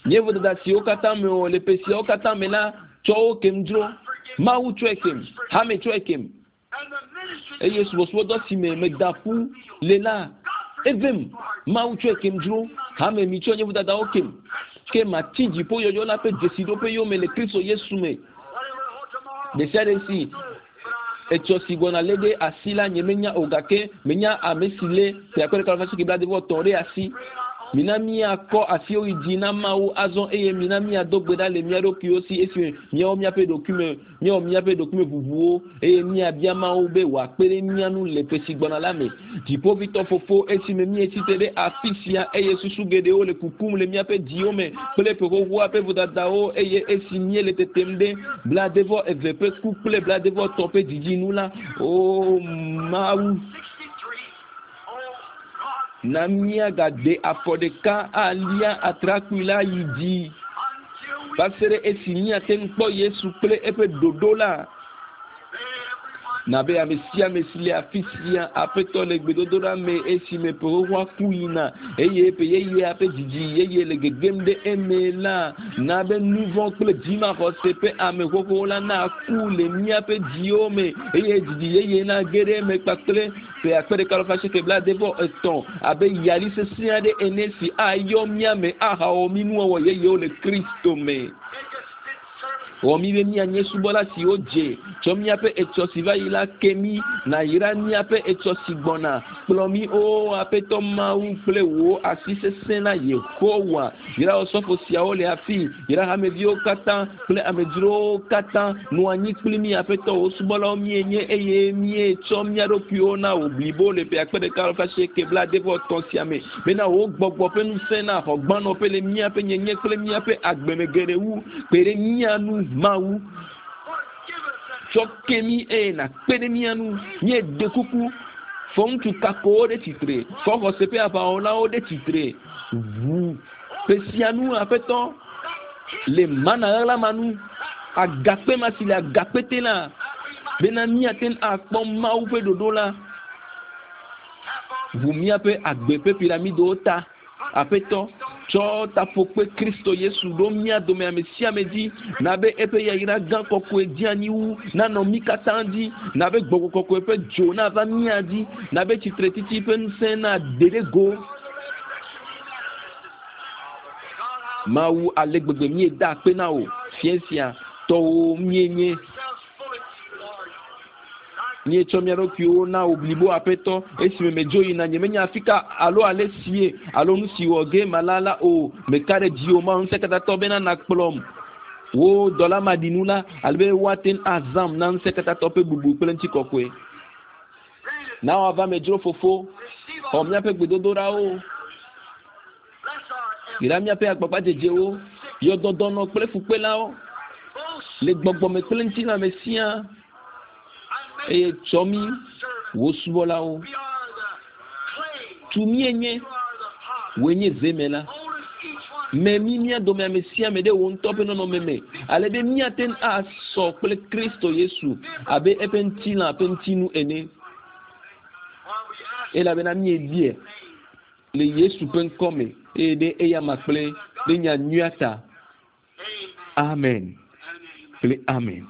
A: Nye vodada siwo katã mewɔ le ƒe siawo katã me la, tsɔ wo kem dzro. Mawu tsɔe kem. Hame tsɔe kem. Eye subɔsubɔdɔ si me meda ƒu le la, evem. Mawu tsɔe kem dzro. Hame, mitsɔ nye vodadawo kem. Ke matsi dziƒo yɔyɔ la ƒe dzesiɖoƒe yome le Kristo Yesu me. Ɖesiaɖe si Etsɔ si gbɔna lé ɖe asi la, nyemenya o, gake menya ame si lé ƒe akpe ɖeka alafa asieke blaade-vɔ-etɔ̃ ɖe asi. Mina míakɔ asiwo yi dzi na Mawu azɔ eye mina míado gbe ɖa le mía ɖokuiwo si esime míawɔ míaƒe ɖokuime, míawɔ míaƒe ɖokuimeʋuʋuwo eye míabia Mawu be wòakpe ɖe mía ŋu le ƒe si gbɔna la me. Dziƒoʋĩtɔ Fofo, esime míetsi tre ɖe afi sia eye susu geɖewo le kukum le míaƒe dziwo me kple ƒe xoxoa ƒe vodadawo eye esi míele tetem ɖe blaade-vɔ-eve ƒe ku kple blaade-vɔ-etɔ̃ ƒe dzidzi nu la, Oo Mawu, na míagade afɔ ɖeka alia atrakpui la yi dzi va se ɖe esi míate ŋu kpɔ Yesu kple eƒe ɖoɖo la. Na be ame sia ame si le afi sia, Aƒetɔ, le gbedodoɖa me esime ƒe xoxoa ku yina eye ƒe yeyea ƒe dzidzi yeye le gegem ɖe eme la, na be nuvɔ̃ kple dzimaxɔse ƒe ame xoxowo la naku le míaƒe dziwo me eye dzidzi yeye nage ɖe eme kpakple Ƒe 1983 abe yali sesẽ aɖe ene si ayɔ mía me ahawɔ mí nuwɔwɔ yeyewo le Kristo me. Wɔ mí be míanye subɔla siwo dze. Tsɔ míaƒe etsɔ si va yi la ke mí. Nàyra míaƒe etsɔ si gbɔna. Kplɔ mí, Oo Aƒetɔ Mawu, kple wò asi sesẽ la, Yehowa. Yra osɔfo siawo le afii. Yra hameviwo katã kple amedzrowo katã. Nɔ anyi kpli mí, Aƒetɔ, wò subɔlawo míenye, eye míetsɔ mía ɖokuiwo na wò blibo le ƒe 1983 sia me, bena wò Gbɔgbɔ ƒe ŋusẽ naxɔ gbanɔƒe le míaƒe nyenye kple míaƒe agbe me geɖe wu. Kpe ɖe mía ŋu, Mawu. Tsɔ ke mí eye nàkpe ɖe mía ŋu. Míeɖe kuku, fɔ ŋutsu kakowo ɖe tsitre, fɔ xɔse ƒe aʋawɔlawo ɖe tsitre. Ʋu ƒe sia nu, Aƒetɔ, le mana ɣaɣla ma nu, agakpe ma si le agakpe te la, bena míate ŋu akpɔ Mawu ƒe ɖoɖo la. Ʋu míaƒe agbe ƒe piramidowo ta. Aƒetɔ, tsɔ taƒokpe Kristo Yesu ɖo mía dome ame sia ame dzi, na be eƒe yayra gã kɔkɔe dzeanyi wu nanɔ mí katã dzi, na be Gbɔgbɔ Kɔkɔe ƒe dzo nava mía dzi, na be tsitretsitsi ƒe ŋusẽ naɖe ɖe go. Mawu, ale gbegbe míeda akpe na wò fiẽ sia, tɔwò míenye. Míetsɔ mía ɖokuiwo na wò blibo, Aƒetɔ. Esime medzo yina, nyemenya afika alo alesie alo nu si wɔ ge mala la o. Meka ɖe dziwò, Mawu Ŋusẽkatãtɔ, bena nàkplɔm, wò dɔla maɖinu la, ale be woate ŋu azãm na Ŋusẽkatãtɔ ƒe bubu kple ŋutikɔkɔe. Na wòava eme dzro, Fofo. Xɔ míaƒe gbedodoɖawo. Yra míaƒe agbagbadzedzewo, yɔ dɔ dɔnɔ kple fukpelawo le gbɔgbɔme kple ŋutilãme siaa, eye tsɔ mí, wò subɔlawo. Tu míenye, wòe nye zemela. Mè mí mía dome ame sia ame ɖe wò ŋutɔ ƒe nɔnɔme me, ale be míate ŋu asɔ kple Kristo Yesu abe eƒe ŋutilã ƒe ŋutinu ene. Elabena míebia le Yesu ƒe ŋkɔ me eye ɖe eyama kple ɖe nya nyuia ta. Amen kple amen.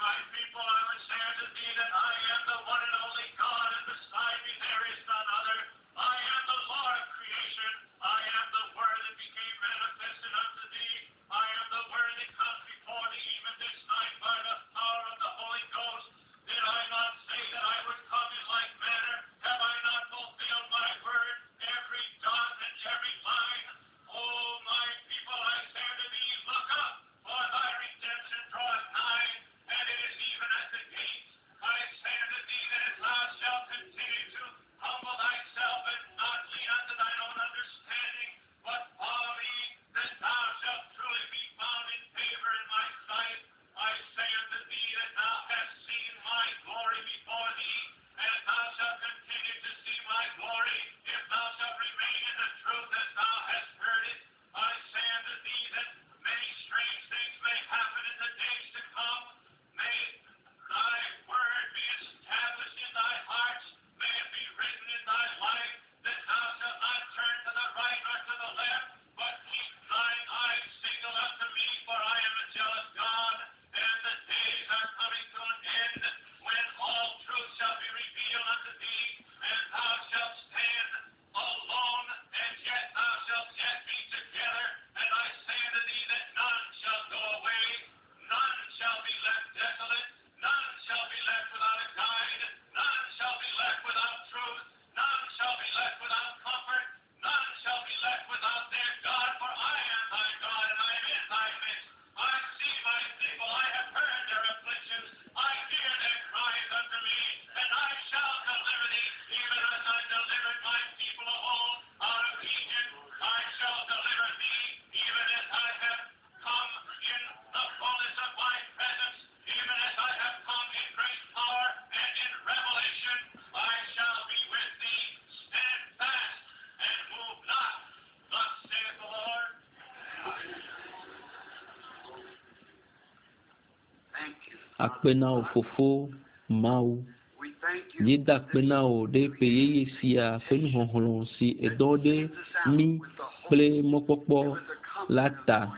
B: My people, I would say unto thee that I am the one and only God, and beside me there is none other. I am the Lord of creation. I am the Word that became manifested unto thee. I am the Word that comes before thee even this night by the power of the Holy Ghost. Did I not say that I would come in like manner? Have I not fulfilled my word, every dot and every line? O my people, I say unto thee, look up, for thy redemption draweth nigh, and it is even at the gates. I say unto thee that if thou shalt continue to humble thyself and not lean unto thine own understanding, but follow me, then thou shalt truly be found in favor in my sight. I say unto thee that thou hast seen my glory before thee, and thou shalt continue to see my glory, if thou shalt remain in the truth as thou hast heard it. I say unto thee that many strange things may happen in the days to come. May thy word be established in thy hearts.
A: akpe na wò Fofo Mawu. Míeda akpe na wò ɖe ƒe yeye sia ƒe nuxɔxlɔ̃ si èdɔ ɖe mí kple mɔkpɔkpɔ la ta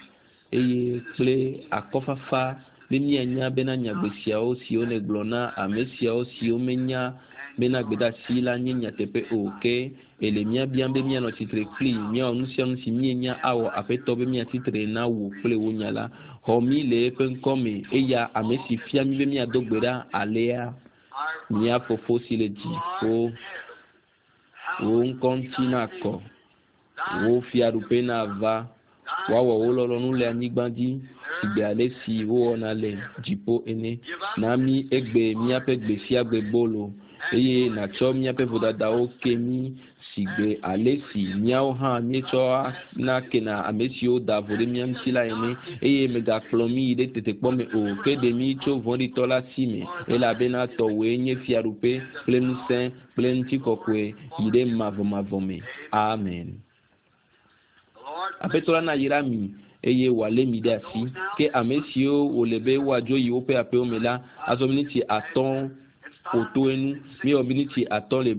A: eye kple akɔfafa be míanya bena nyagbe siawo siwo nègblɔ na ame siawo siwo menya bena gbedeasi la nye nyateƒe o ke ele mía biam be míanɔ tsitre kpli míawɔ nu sia nu si míenya awɔ Aƒetɔ be míatsitre na wò kple wò nya la. Xɔ mí le eƒe ŋkɔ me eya ame si fia mí be míado gbe ɖa alea. Mía Fofo si le dziƒo, wò ŋkɔ ŋuti nakɔ, wò fiaɖuƒe nava, woawɔ wò lɔlɔ̃nu le anyigba dzi sigbe ale si wowɔna le dziƒo ene. Na mí egbe míaƒe gbe sia gbe bolo eye nàtsɔ míaƒe vodadawo ke mí sigbe ale si míawo hã míetsɔa na kena ame siwo da vo ɖe mía ŋuti la ene eye mègakplɔ mí yi ɖe tetekpɔ me o ke ɖe mí tso vɔ̃ɖitɔ la si me elabena tɔwòe nye fiaɖuƒe kple ŋusẽ kple ŋutikɔkɔe yi ɖe mavɔmavɔ me. Amen. Aƒetɔ la nayra mi eye wòalé mi ɖe asi. Ke ame siwo wòle be woadzo yi woƒe aƒewo me la, azɔ miniti atɔ̃ ƒo to enu. Míewɔ miniti atɔ̃ le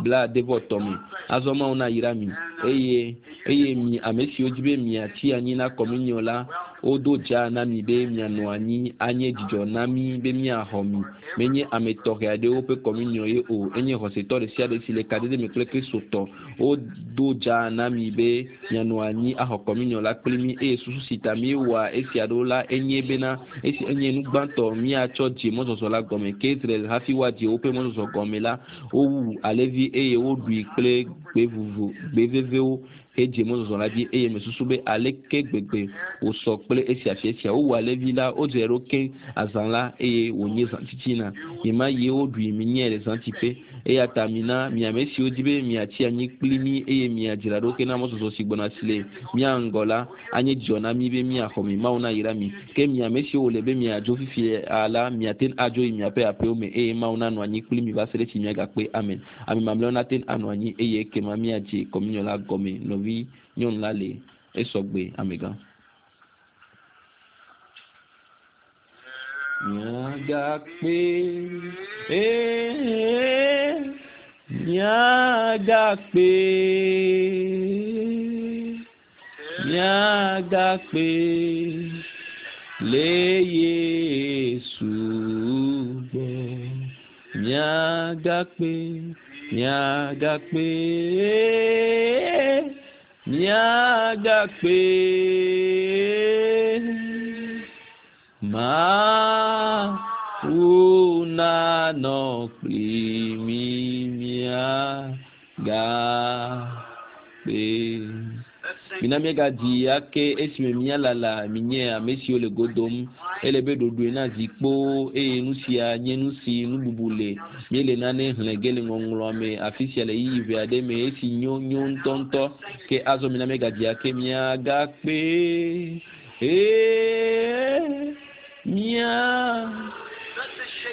A: blaade-vɔ-etɔ̃ me. Azɔ Mawu nayra mi eye eye mi ame siwo dzi be miatsi anyi na kɔminiɔ la, wodo dza na mi be mianɔ anyi anye dzidzɔ na mí be míaxɔ mi. Menye ame tɔxɛ aɖewo ƒe kɔminiɔ ye o, enye xɔsetɔ ɖe sia ɖe si le kadede me kple Kristotɔ. Wodo dza na mi be mianɔ anyi axɔ kɔminiɔ la kpli mí eye susu si ta míewɔa esia ɖo la enye bena esi enye nu gbãtɔ míatsɔ dze mɔzɔzɔ la gɔme. Ke Israel hafi woadze woƒe mɔzɔzɔ gɔme la, wowu alẽvi eye woɖui kple gbe vovo gbe vevewo hedze mɔzɔzɔ la dzi eye mesusu be aleke gbegbe wòsɔ kple esia fia sia. Wowu alẽvi la, wodzrae ɖo keŋ azã la eye wònye zã titina. Ɣemaɣie woɖui minyae le zãtiƒe. Eya ta mina mi ame siwo di be miatsi anyi kpli mí eye miadzra ɖo ke na mɔzɔzɔ si gbɔna si le mía ŋgɔ la anye dzidzɔ na mí be míaxɔ mi. Mawu nayra mi. Ke mi ame siwo wòle be miadzo fifia la, miate ŋu adzo yi miaƒe aƒewo me eye Mawu nanɔ anyi kpli mi va se ɖe esi miagakpe. Amen. Ame mamlɛawo nate ŋu anɔ anyi eye ekema míadze kɔminiɔ la gɔme. Nɔvi nyɔnu la le esɔgbe amegã. Miagakpe, ee, miagakpe, miagakpe le Yesu gbɔ. Miagakpe, miagakpe, miagakpe. Mawu nanɔ kpli mí miagakpe. Mina míagadzi ake esime míalala minye ame siwo le go dom. Ele be ɖoɖoe na zi kpoo eye nu sia nye nu si nububu le. Míele nane xlẽ ge le ŋɔŋlɔa me afi sia le ɣeyiɣi ʋɛ aɖe me esi nyo nyo ŋutɔŋutɔ. Ke azɔ mina míagadzi ake miagakpe. Ee, mía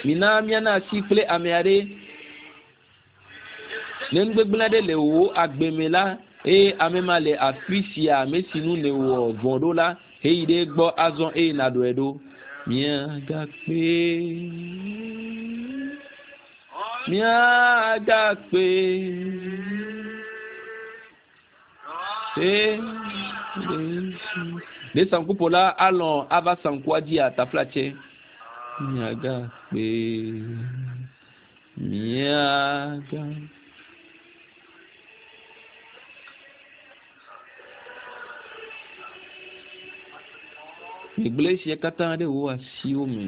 A: mina míana asi kple ame aɖe. Ne nu gbegblẽ aɖe le wò agbe me la, eye ame ma le afi sia ame si nu nèwɔ vɔ̃ ɖo la, heyi ɖe egbɔ azɔ eye nàɖɔe ɖo. Míagakpe, míagakpe. Ee, ɖe saŋkuƒola alɔ̃ ava saŋkua dzia taflatse? Míagakpe, míaga. Megblẽ esia katã ɖe wò asiwo me,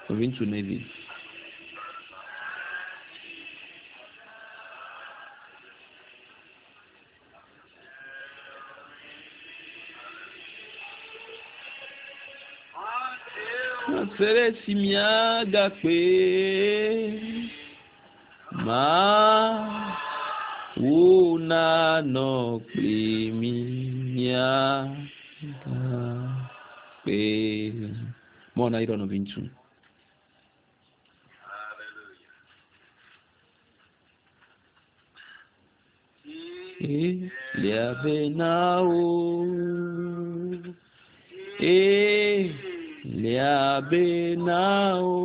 A: nɔviŋutsu Neville. Se ɖe esi míagakpe Mawu nanɔ kpli mí míagakpe. Mawu nayra nɔviŋutsu. Lia ve na wo. E Lia be na o.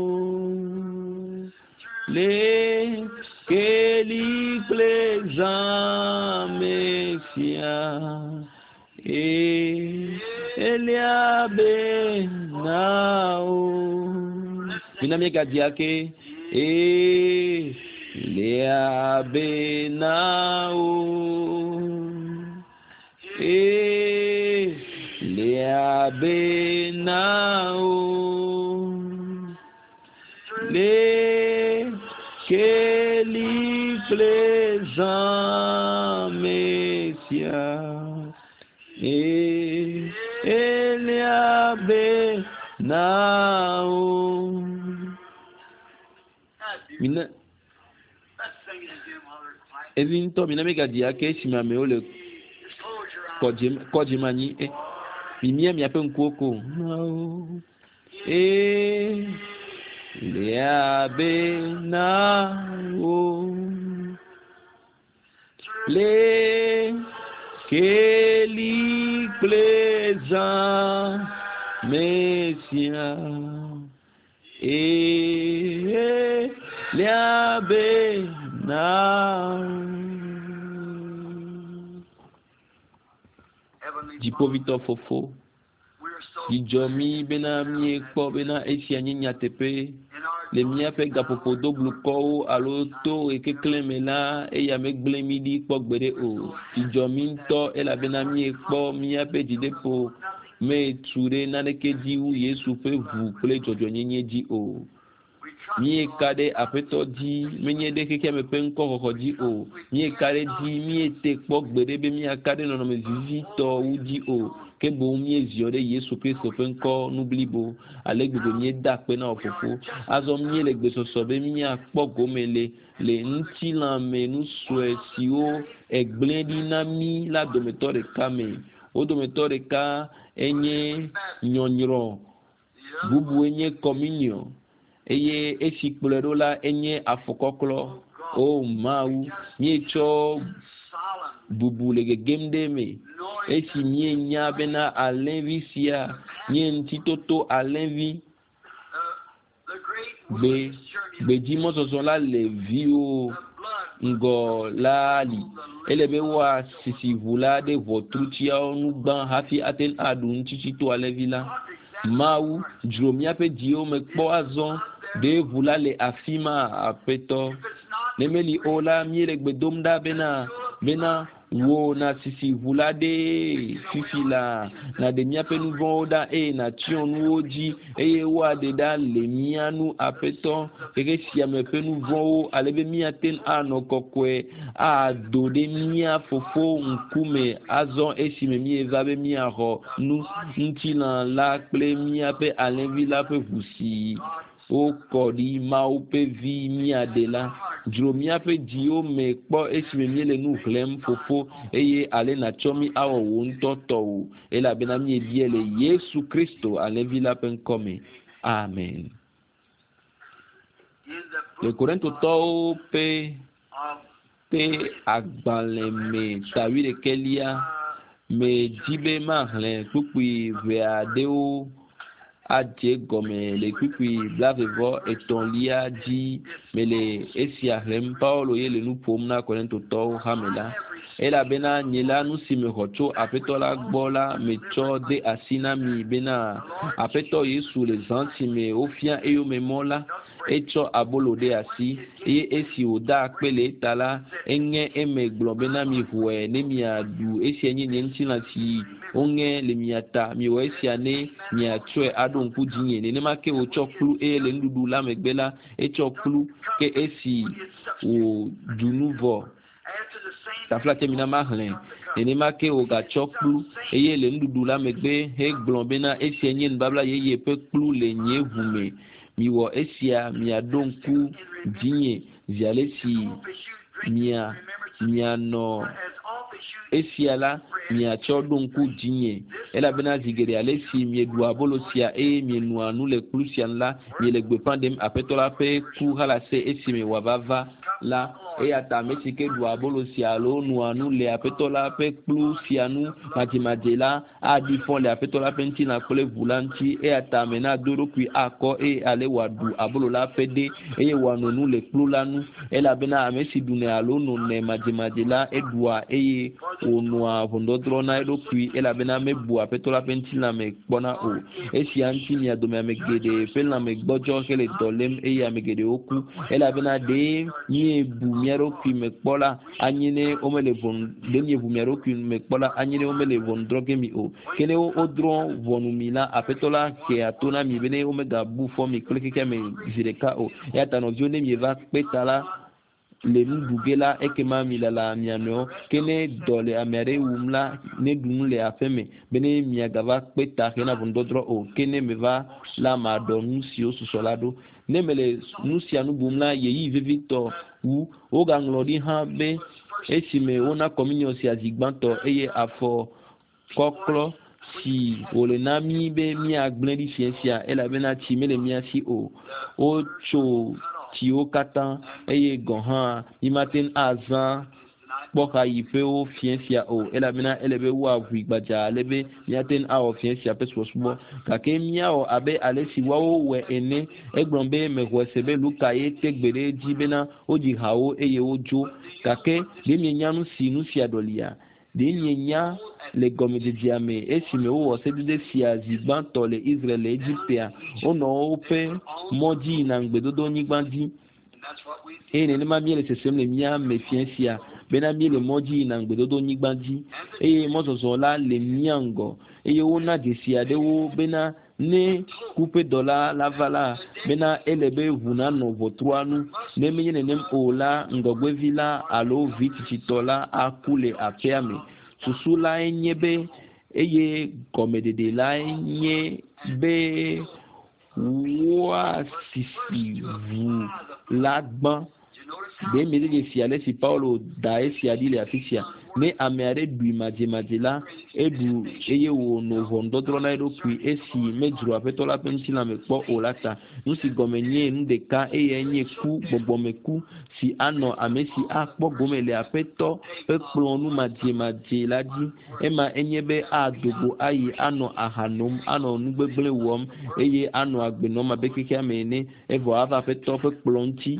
A: Le keli kple zã me sia. E elia be na o. Mina míegadzi ake. E lia be na o. E lia be na o. Le keli kple zã me sia. E elia be na o. Mina
B: Let's sing it again while they're quiet.
A: evi ŋutɔ mina míegadzi ake esime amewo le
B: Just close your eyes.
A: kɔdzi kɔdzi me anyi. E, mimia miaƒe ŋkuwo ko. Na o. E lia be na o. Le keli kple zã me sia. E lia be na o.
B: Heavenly
A: Dziƒovitɔ fofo,
B: we're so
A: dzidzɔ mí bena míekpɔ bena esia nye nyateƒe.
B: in our
A: Le míaƒe gaƒoƒo doblukɔwo alo to ɣekeklẽ me la, eya megblẽ mí ɖi kpɔ gbeɖe o. Dzidzɔ mí ŋutɔ elabena míekpɔ míaƒe dzideƒo metu ɖe naneke dzi wu Yesu ƒe ʋu kple dzɔdzɔenyenye dzi o.
B: we trust
A: Míeka ɖe Aƒetɔ dzi, menye ɖe xexeame ƒe ŋkɔxɔxɔ dzi o. Míeka ɖe dzi, míete kpɔ gbeɖe be míaka ɖe nɔnɔme vivitɔ wu dzi o. Ke boŋ míeziɔ ɖe Yesu Kristo ƒe ŋkɔ nu blibo. Ale gbegbe míeda akpe na wò fofo. Azɔ míele gbesɔsɔ be míakpɔ gome le le ŋutilãme nu sue siwo egblẽ ɖi na mí la dometɔ ɖeka me. Wo dometɔ ɖeka enye nyɔnyrɔ,
B: the other
A: bubue nye communion eye esi kplɔe ɖo la enye afɔkɔklɔ. O Mawu, míetsɔ
B: solemn
A: bubu le gegem ɖe eme.
B: knowing
A: Esi míenya bena alẽvi sia nye ŋutitoto alẽvi
B: the great
A: gbe
B: wilderness journey of
A: gbedzimɔzɔzɔ la le viwo
B: the blood
A: ŋgɔ la li. Ele be woasisi ʋu la ɖe ʋɔtrutiawo nu gbã hafi ate ŋu aɖu ŋutitsito alẽvi la.
B: God exactly
A: Mawu, dzro míaƒe dziwo me kpɔ azɔ. Ɖe ʋu la le afi ma, Aƒetɔ.
B: if it's not
A: Ne meli o la, míele gbe dom ɖa bena bena wò nasisi ʋu la ɖe fifi la, nàɖe míaƒe nu vɔ̃wo ɖa eye nàtsyɔ nuwo dzi eye woaɖe ɖa le mía nu Aƒetɔ xexe sia me ƒe nu vɔ̃wo ale be míate ŋu anɔ kɔkɔe ado ɖe mía fofo ŋkume azɔ esime míeva be míaxɔ nu ŋutilã la kple míaƒe alẽvi la ƒe ʋu si wokɔ ɖi Mawu ƒe vi míaɖe la. Dzro míaƒe dziwo me kpɔ esime míele nu xlẽm fofo eye ale nàtsɔ mí awɔ wò ŋutɔ tɔwò elabena míebia le Yesu Kristo alẽvi la ƒe ŋkɔ me. Amen.
B: in the
A: Le
B: book
A: Korintotɔwo ƒe
B: of
A: ƒe agbalẽ me ta wuiɖekɛlia medzi be maxlẽ kpukpui ʋɛ aɖewo adze gɔme le kpukpui blaeve vɔ etɔ̃lia dzi mele esia xlẽm. Paulo ye le nu ƒom na Korintotɔwo hame la. Elabena nye la nu si mexɔ tso Aƒetɔ la gbɔ la metsɔ de asi na mi bena Aƒetɔ Yesu le zã si me wofia eyome mɔ la, etsɔ abolo ɖe asi eye esi wòda akpe le eta la, eŋe eme gblɔ bena miʋɔe ne miaɖu esia nye nye ŋutilã si woŋe le mia ta. Miwɔ esia ne miatsɔe aɖo ŋku dzinye. Nenema ke wòtsɔ kplu eye le nuɖuɖu la megbe la, etsɔ kplu ke esi wòɖu nu vɔ
B: after the same
A: taflatse mina maxlẽ. Nenema ke wògatsɔ kplu eye le nuɖuɖu la megbe hegblɔ bena esia nye nubabla yeye ƒe kplu le nye ʋu me. Miwɔ esia miaɖo ŋku dzinye zi ale si
B: as you drink
A: mia mianɔ
B: as oft as you
A: esia la miatsɔ ɖo ŋku dzinye elabena zi geɖe ale si mieɖua abolo sia eye mienua nu le kplu sia nu la, miele gbeƒã ɖem Aƒetɔ la ƒe ku halase esime wòava va la. Eya ta ame si ke ɖua abolo sia alo noa nu le Aƒetɔ la ƒe kplu sia nu madzemadze la aɖi fɔ le Aƒetɔ la ƒe ŋutilã kple ʋu la ŋuti. Eya ta ame nado eɖokui akɔ eye ale wòaɖu abolo la ƒe ɖe eye wòano nu le kplu la nu. Elabena ame si ɖunɛ alo nonɛ madzemadze la, eɖua eye wònoa ʋɔnudɔdrɔ̃ na eɖokui elabena mebua Aƒetɔ la ƒe ŋutilã me kpɔna o. Esia ŋuti mia dome ame geɖe ƒe lãme gbɔdzɔ hele dɔ lém eye ame geɖewo ku. Elabena ɖe míebu mía ɖokui me kpɔ la, anye ne womele ʋɔnu ɖe míebu mía ɖokui me kpɔ la, anye ne womele ʋɔnu drɔ̃ ge mi o. Ke ne wodrɔ̃ ʋɔnu mi la, Aƒetɔ la hea to na mi be ne womegabu fɔ mi kple xexea me zi ɖeka o. Eya ta nɔviwo, ne mieva kpe ta la, le nu ɖu ge la, ekema milala mia nɔewo. Ke ne dɔ le ame aɖe wum la, neɖu nu le aƒe me bene miagava kpe ta hena ʋɔnudɔdrɔ̃ o. Ke ne meva la, maɖɔ nu siwo susɔ la ɖo. Ne mele nu sia nu bum la, ɣeyiɣi vevitɔ wu. Wogaŋlɔ ɖi hã be esime wona kɔminiɔ sia zi gbãtɔ eye afɔ kɔklɔ si wòle na mí be míagblẽ ɖi fiẽ sia elabena tsi mele mía si o. Wotso tsiwo katã eye gɔ̃ hã mímate ŋu azã kpɔxayiƒewo fiẽ sia o elabena ele be woaʋui gbadzaa ale be míate ŋu awɔ fiẽ sia ƒe subɔsubɔ. Gake míawɔ abe ale si woawo wɔe ene. Egblɔ be mexɔe se be Luka ye te gbe ɖe edzi bena wodzi hawo eye wodzo. Gake ɖe mienya nu si nu sia ɖɔlia? Ɖe mienya le gɔmedzedzea me esime wowɔ sedede sia zi gbãtɔ le Israel le Egiptea, wonɔ woƒe mɔ dzi yina ŋugbedodonyigba dzi. Eye nenema míele sesem le mía me fiẽ sia bena míele mɔ dzi yina ŋugbedodonyigba dzi eye mɔzɔzɔ la le mía ŋgɔ eye wona dzesi aɖewo bena ne ku ƒe dɔla la va la bena ele be ʋu nanɔ ʋɔtrua nu. Ne menye nenem o la, ŋgɔgbevi la alo vi tsitsitɔ la aku le aƒea me. Susu lae nye be eye gɔmeɖeɖe lae nye be woasisi ʋu la gbã. Ɖe miede dzesi ale si Paulo da esia ɖi le afi sia? Ne ame aɖe ɖui madzemadze la, eɖu eye wòno ʋɔnudɔdrɔ̃ na eɖokui esi medzro Aƒetɔ la ƒe ŋutilã me kpɔ o la ta. Nu si gɔme nye nu ɖeka eyae nye ku, gbɔgbɔmeku si anɔ ame si akpɔ gome le Aƒetɔ ƒe kplɔ̃ nu madzemadze la dzi. Ema enye be ado go ayi anɔ aha nom, anɔ nu gbegblẽ wɔm eye anɔ agbe nɔm abe xexea me ene evɔ ava Aƒetɔ ƒe kplɔ̃ ŋuti.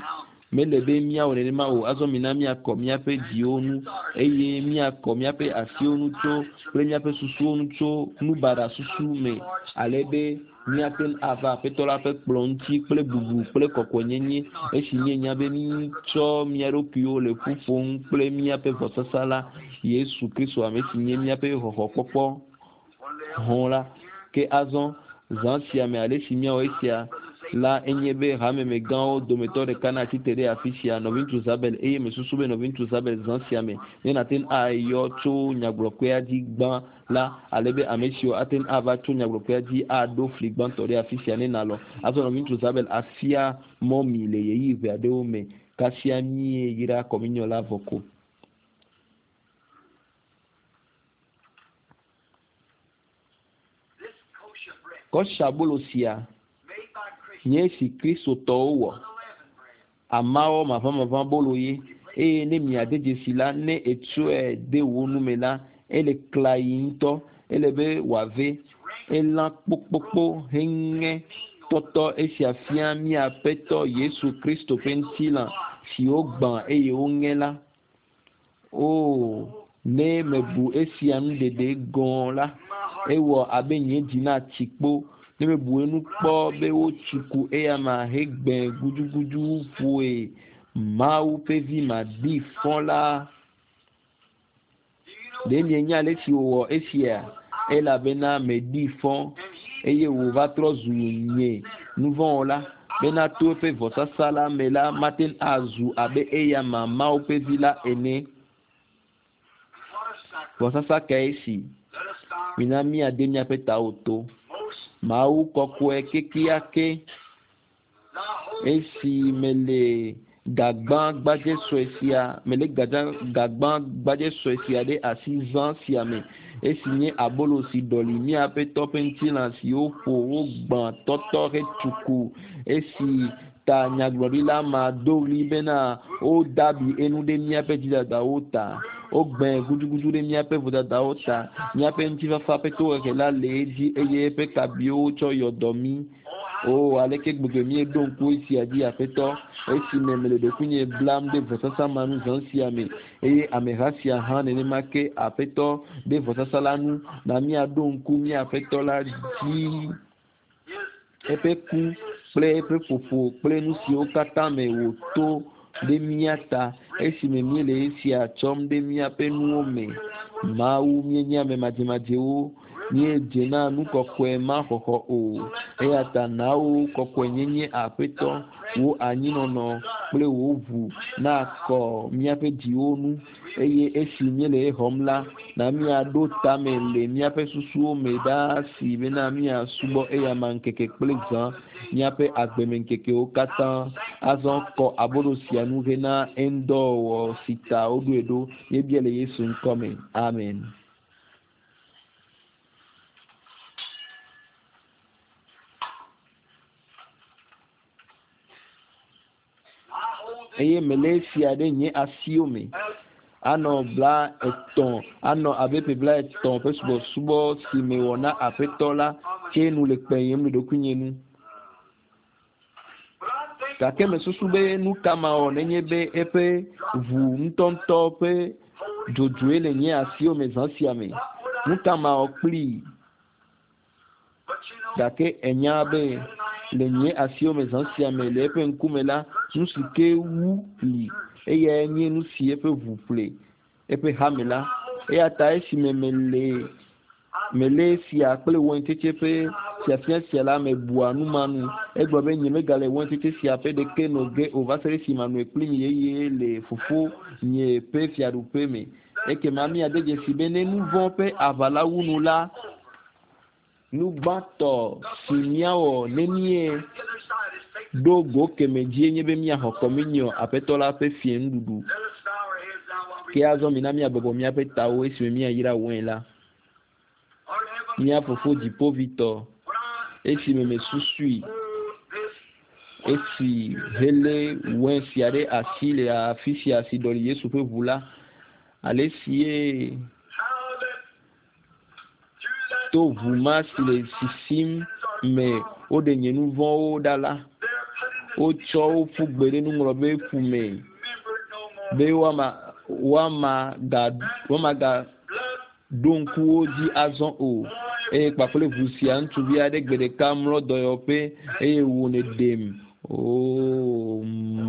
A: Mele be míawɔ nenema o. Azɔ mina míakɔ míaƒe dziwo nu eye míakɔ míaƒe asiwo nu tso kple míaƒe susuwo nu tso nubaɖa susu me ale be míate ŋu ava Aƒetɔ la ƒe kplɔ̃ ŋuti kple bubu kple kɔkɔenyenye esi míenya be mítsɔ mía ɖokuiwo le ƒu ƒom kple míaƒe vɔsasa la Yesu Kristo ame si nye míaƒe xɔxɔkpɔkpɔ hɔ̃ la. Ke azɔ zã sia me ale si míawɔ esia la enye be hamemegãwo dometɔ ɖeka natsi te ɖe afi sia, nɔviŋutsu Zabel, eye mesusu be nɔviŋutsu Zabel zã sia me ne nàte ŋu ayɔ tso nyagblɔkpea dzi gbã la ale be ame siwo ate ŋu ava tso nyagblɔkpea dzi aɖo fli gbãtɔ ɖe afi sia ne nàlɔ̃. Azɔ nɔviŋutsu Zabel afia mɔ mi le ɣeyiɣi ʋɛ aɖewo me kasia míeyra kɔminiɔ la vɔ ko. Kɔshabolo sia nye esi Kristotɔwo wɔ. Amawɔ maʋamaʋã bolo ye eye ne miade dzesi la, ne etsɔe de wò nu me la, ele klayi ŋutɔ. Ele be wòave. Elã kpokpokpo heŋe tɔtɔ esia fia mía Aƒetɔ Yesu Kristo ƒe ŋutilã si wogbã eye woŋe la. O, ne mebu esia nuɖeɖe gɔ̃ la, ewɔ abe nye dzi natsi kpo. Ne mebu enu kpɔ be wotsu ku eyama hegbẽ gudugudu ƒoe Mawu ƒe vi maɖi fɔ la. Ɖe mienya ale si wòwɔ esia? Elabena meɖi fɔ eye wòva trɔ zu nye nuvɔ̃wɔla bena to eƒe vɔsasa la me la mate ŋu azu abe eyama Mawu ƒe vi la ene. Vɔsasa kae si? Mina míade míaƒe tawo to. Mawu kɔkɔe kekeake esi mele gagbã gbadze sue sia mele gagbã gbadze sue sia ɖe asi zã sia me esi nye abolo si ɖɔli mía Aƒetɔ ƒe ŋutilã si woƒo wogbã tɔtɔ hetsuku esi Ta nyagblɔɖila ma do ɣli bena wodabi enu ɖe míaƒe dzidadawo ta. Wogbẽ gudugudu ɖe míaƒe vodadawo ta. Míaƒe ŋutifafa ƒe tohehe la le edzi eye eƒe kabiwo tsɔ yɔ dɔ mí. O aleke gbegbe míeɖo ŋku esia dzi aƒetɔ esime mele ɖokuinye blam ɖe vɔsasa ma nu zã sia me eye ameha sia hã nenema ke aƒetɔ ɖe vɔsasa la nu na míaɖo ŋku mía aƒetɔ la dzi eƒe ku kple eƒe ƒoƒo kple nu siwo katã me wòto ɖe mía ta esime míele esia tsɔm ɖe míaƒe nuwo me. Mawu míenye ame madzemadzewo míedze na nu kɔkɔe ma xɔxɔ o eya ta na wò kɔkɔenyenye aƒetɔ wò anyinɔnɔ kple wò ʋu nakɔ míaƒe dziwo nu eye esi míele exɔm la na míaɖo tame le míaƒe susuwo me ɖaa si bena míasubɔ eyama ŋkeke kple zã míaƒe agbemeŋkekewo katã azɔ kɔ abolo sia nu hena eŋdɔwɔwɔ si ta woɖoe ɖo míebia le Yesu ŋkɔ me amen. Eye mele esia ɖe nye asiwo me anɔ 30 anɔ abe ƒe 30 ƒe subɔsubɔ si mewɔ na aƒetɔ la tse nu le kpenyem le ɖokuinye nu. Gake mesusu be nu ka mawɔ nenye be eƒe ʋu ŋutɔŋutɔ ƒe dzodzoe le nye asiwo me zã sia me. Nu ka mawɔ kplii? Gake enya be le nye asiwo me zã sia me le eƒe ŋkume la, nu si ke wu li eyae nye nu si eƒe ʋu ƒle eƒe hame la. Eya ta esime mele melé sia kple waintsetse ƒe fiafia sia la mebua nu ma nu. Egblɔ be nyemegale waintsetse sia ƒe ɖeke no ge o va se ɖe esime manoe kpli mi yeye le fofo nye ƒe fiaɖuƒe me. Ekema míade dzesi be ne nu vɔ̃ ƒe aʋa la wu nu la, nu gbãtɔ si míawɔ ne míeɖo go keme dzie nye be míaxɔ kɔminiɔ aƒetɔ la ƒe fiẽnuɖuɖu. Ke azɔ mina míabɔbɔ míaƒe tawo esime míayra wain la. Mía fofo dziƒovitɔ, esime mesusui, esi helé wain sia ɖe asi le afi sia si ɖɔli Yesu ƒe ʋu la, ale si ye to ʋu ma si le sisim me woɖe nye nu vɔ̃wo ɖa la, wotsɔ wo ƒu gbe ɖe nuŋlɔbe ƒu me be woama woamaga ɖo ŋku wo dzi azɔ o. Eye kpakple ʋu sia ŋutsuvi aɖe gbe ɖeka mlɔ dɔyɔƒe eye wò nèɖem. Oo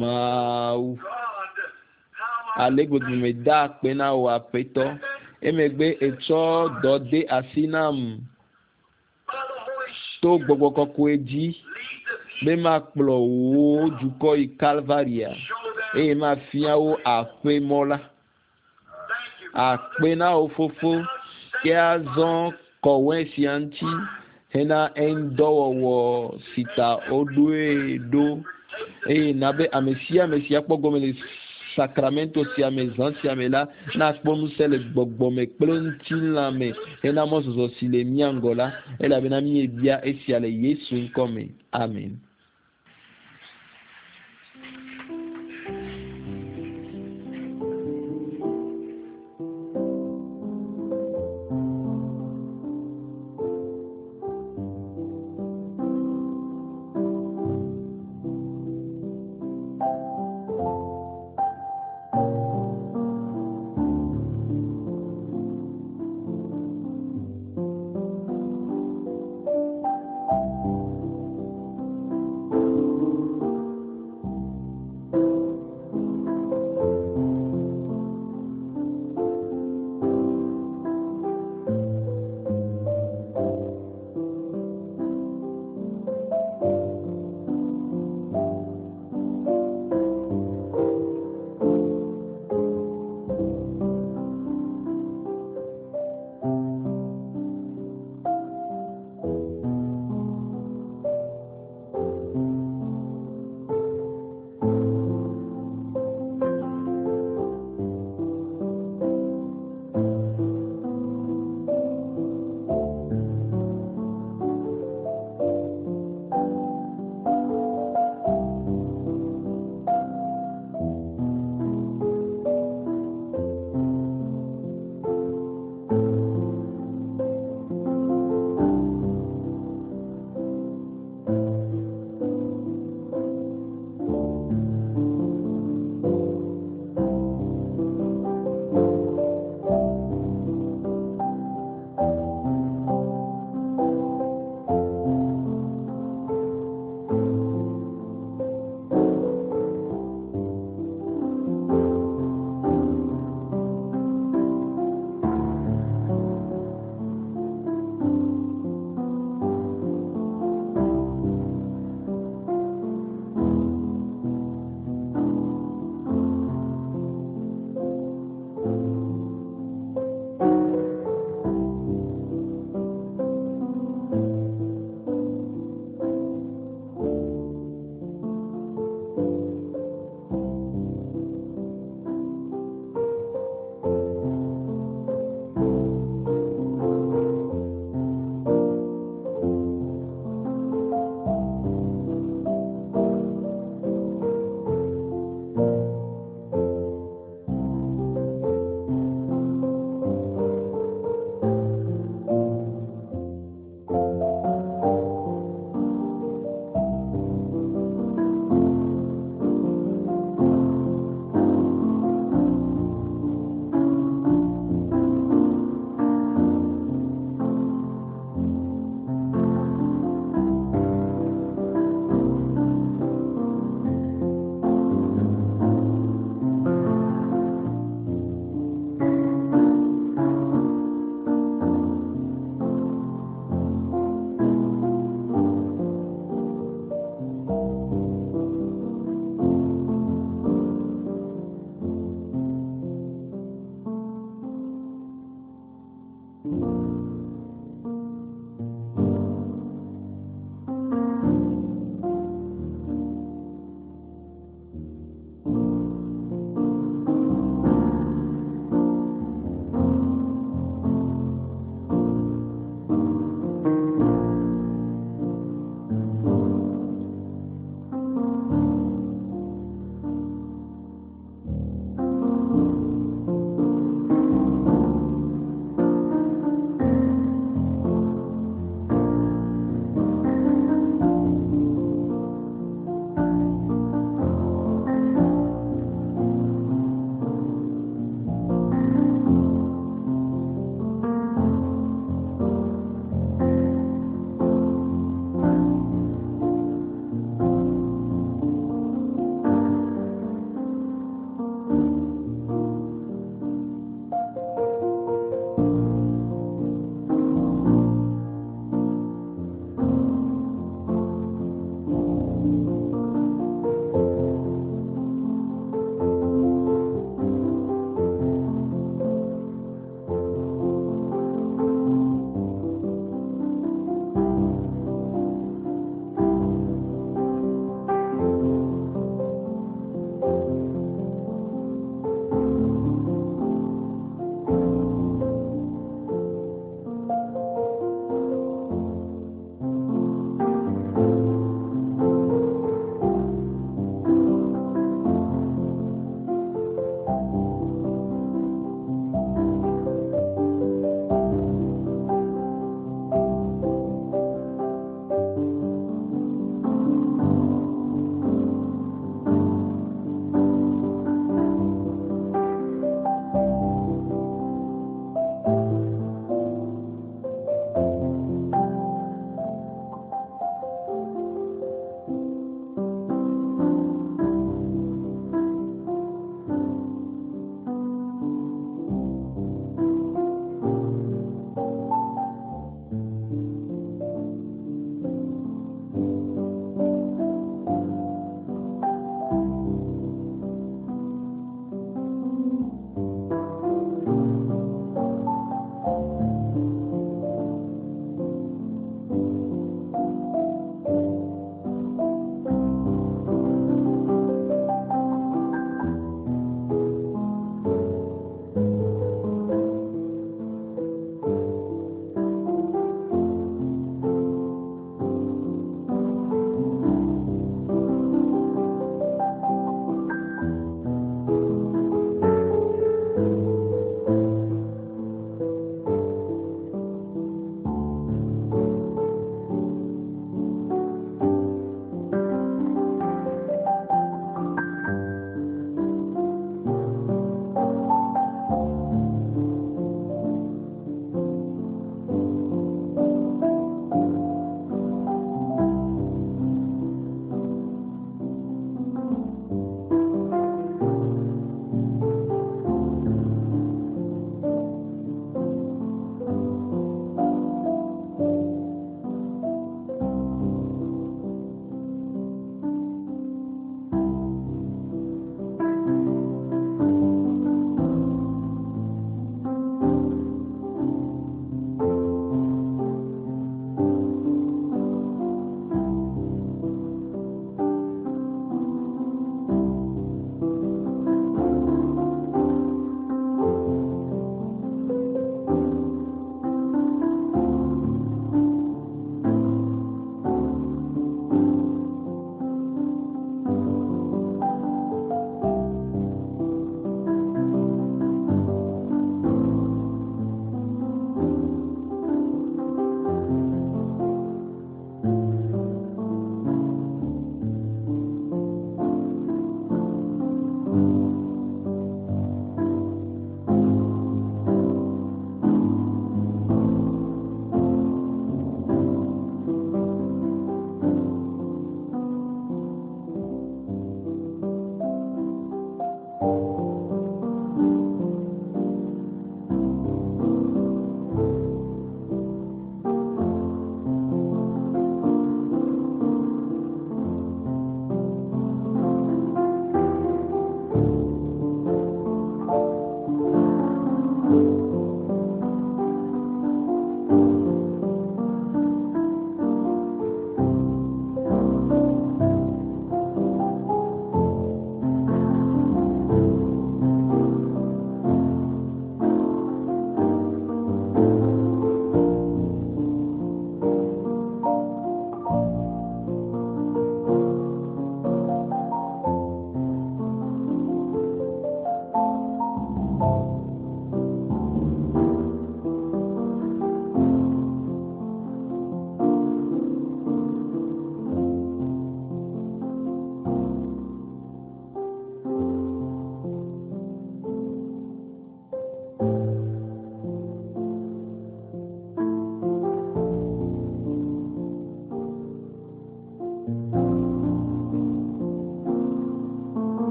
A: Mawu! Ale gbegbe meda akpe na wò aƒetɔ. Emegbe ètsɔ dɔ de asi nam to gbɔgbɔ kɔkɔe dzi be makplɔ wò dukɔ yi Kalvaria eye mafia wo aƒe mɔ la. Akpe na wò fofo ke azɔ kɔ wain sia ŋuti hena eŋudɔwɔwɔ si ta woɖoe ɖo eye na be ame sia ame si akpɔ gome le sakramento sia me zã sia me la nakpɔ ŋusẽ le gbɔgbɔ me kple ŋutilã me hena mɔzɔzɔ si le mía ŋgɔ la elabena míebia esia le Yesu ŋkɔ me. Amen.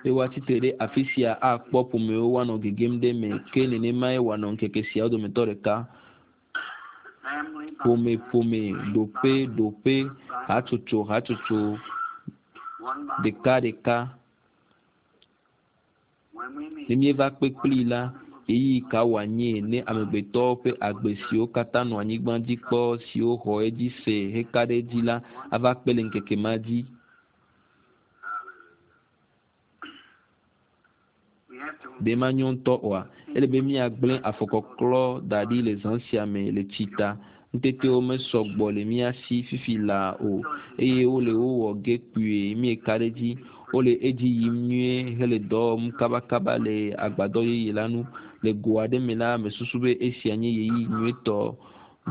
A: Be woatsi tre ɖe afi sia akpɔ ƒomewo woanɔ gegem ɖe eme ke nenemae wòanɔ ŋkeke siawo dometɔ ɖeka. Ƒomeƒome, ɖoƒeɖoƒe, hatsotso hatsotso, ɖekaɖeka. Ne míeva kpe kplii la, ɣeyiɣi ka wòanye ne amegbetɔwo ƒe agbe siwo katã nɔ anyigba dzi kpɔ siwo xɔ edzi se heka ɖe edzi la ava kpe le ŋkeke ma dzi? Ɖe manyo ŋutɔ oa? Ele be míagblẽ afɔkɔklɔ da ɖi le zã sia me le tsi ta. Ŋutetewo mesɔ gbɔ le mía si fifi laa o, eye wole wo wɔ ge kpuie míeka ɖe edzi. Wole edzi yim nyuie hele dɔ wɔm kabakaba le agbadɔ yeye la nu. Le go aɖe me la, mesusu be esia nye ɣeyiɣi nyuietɔ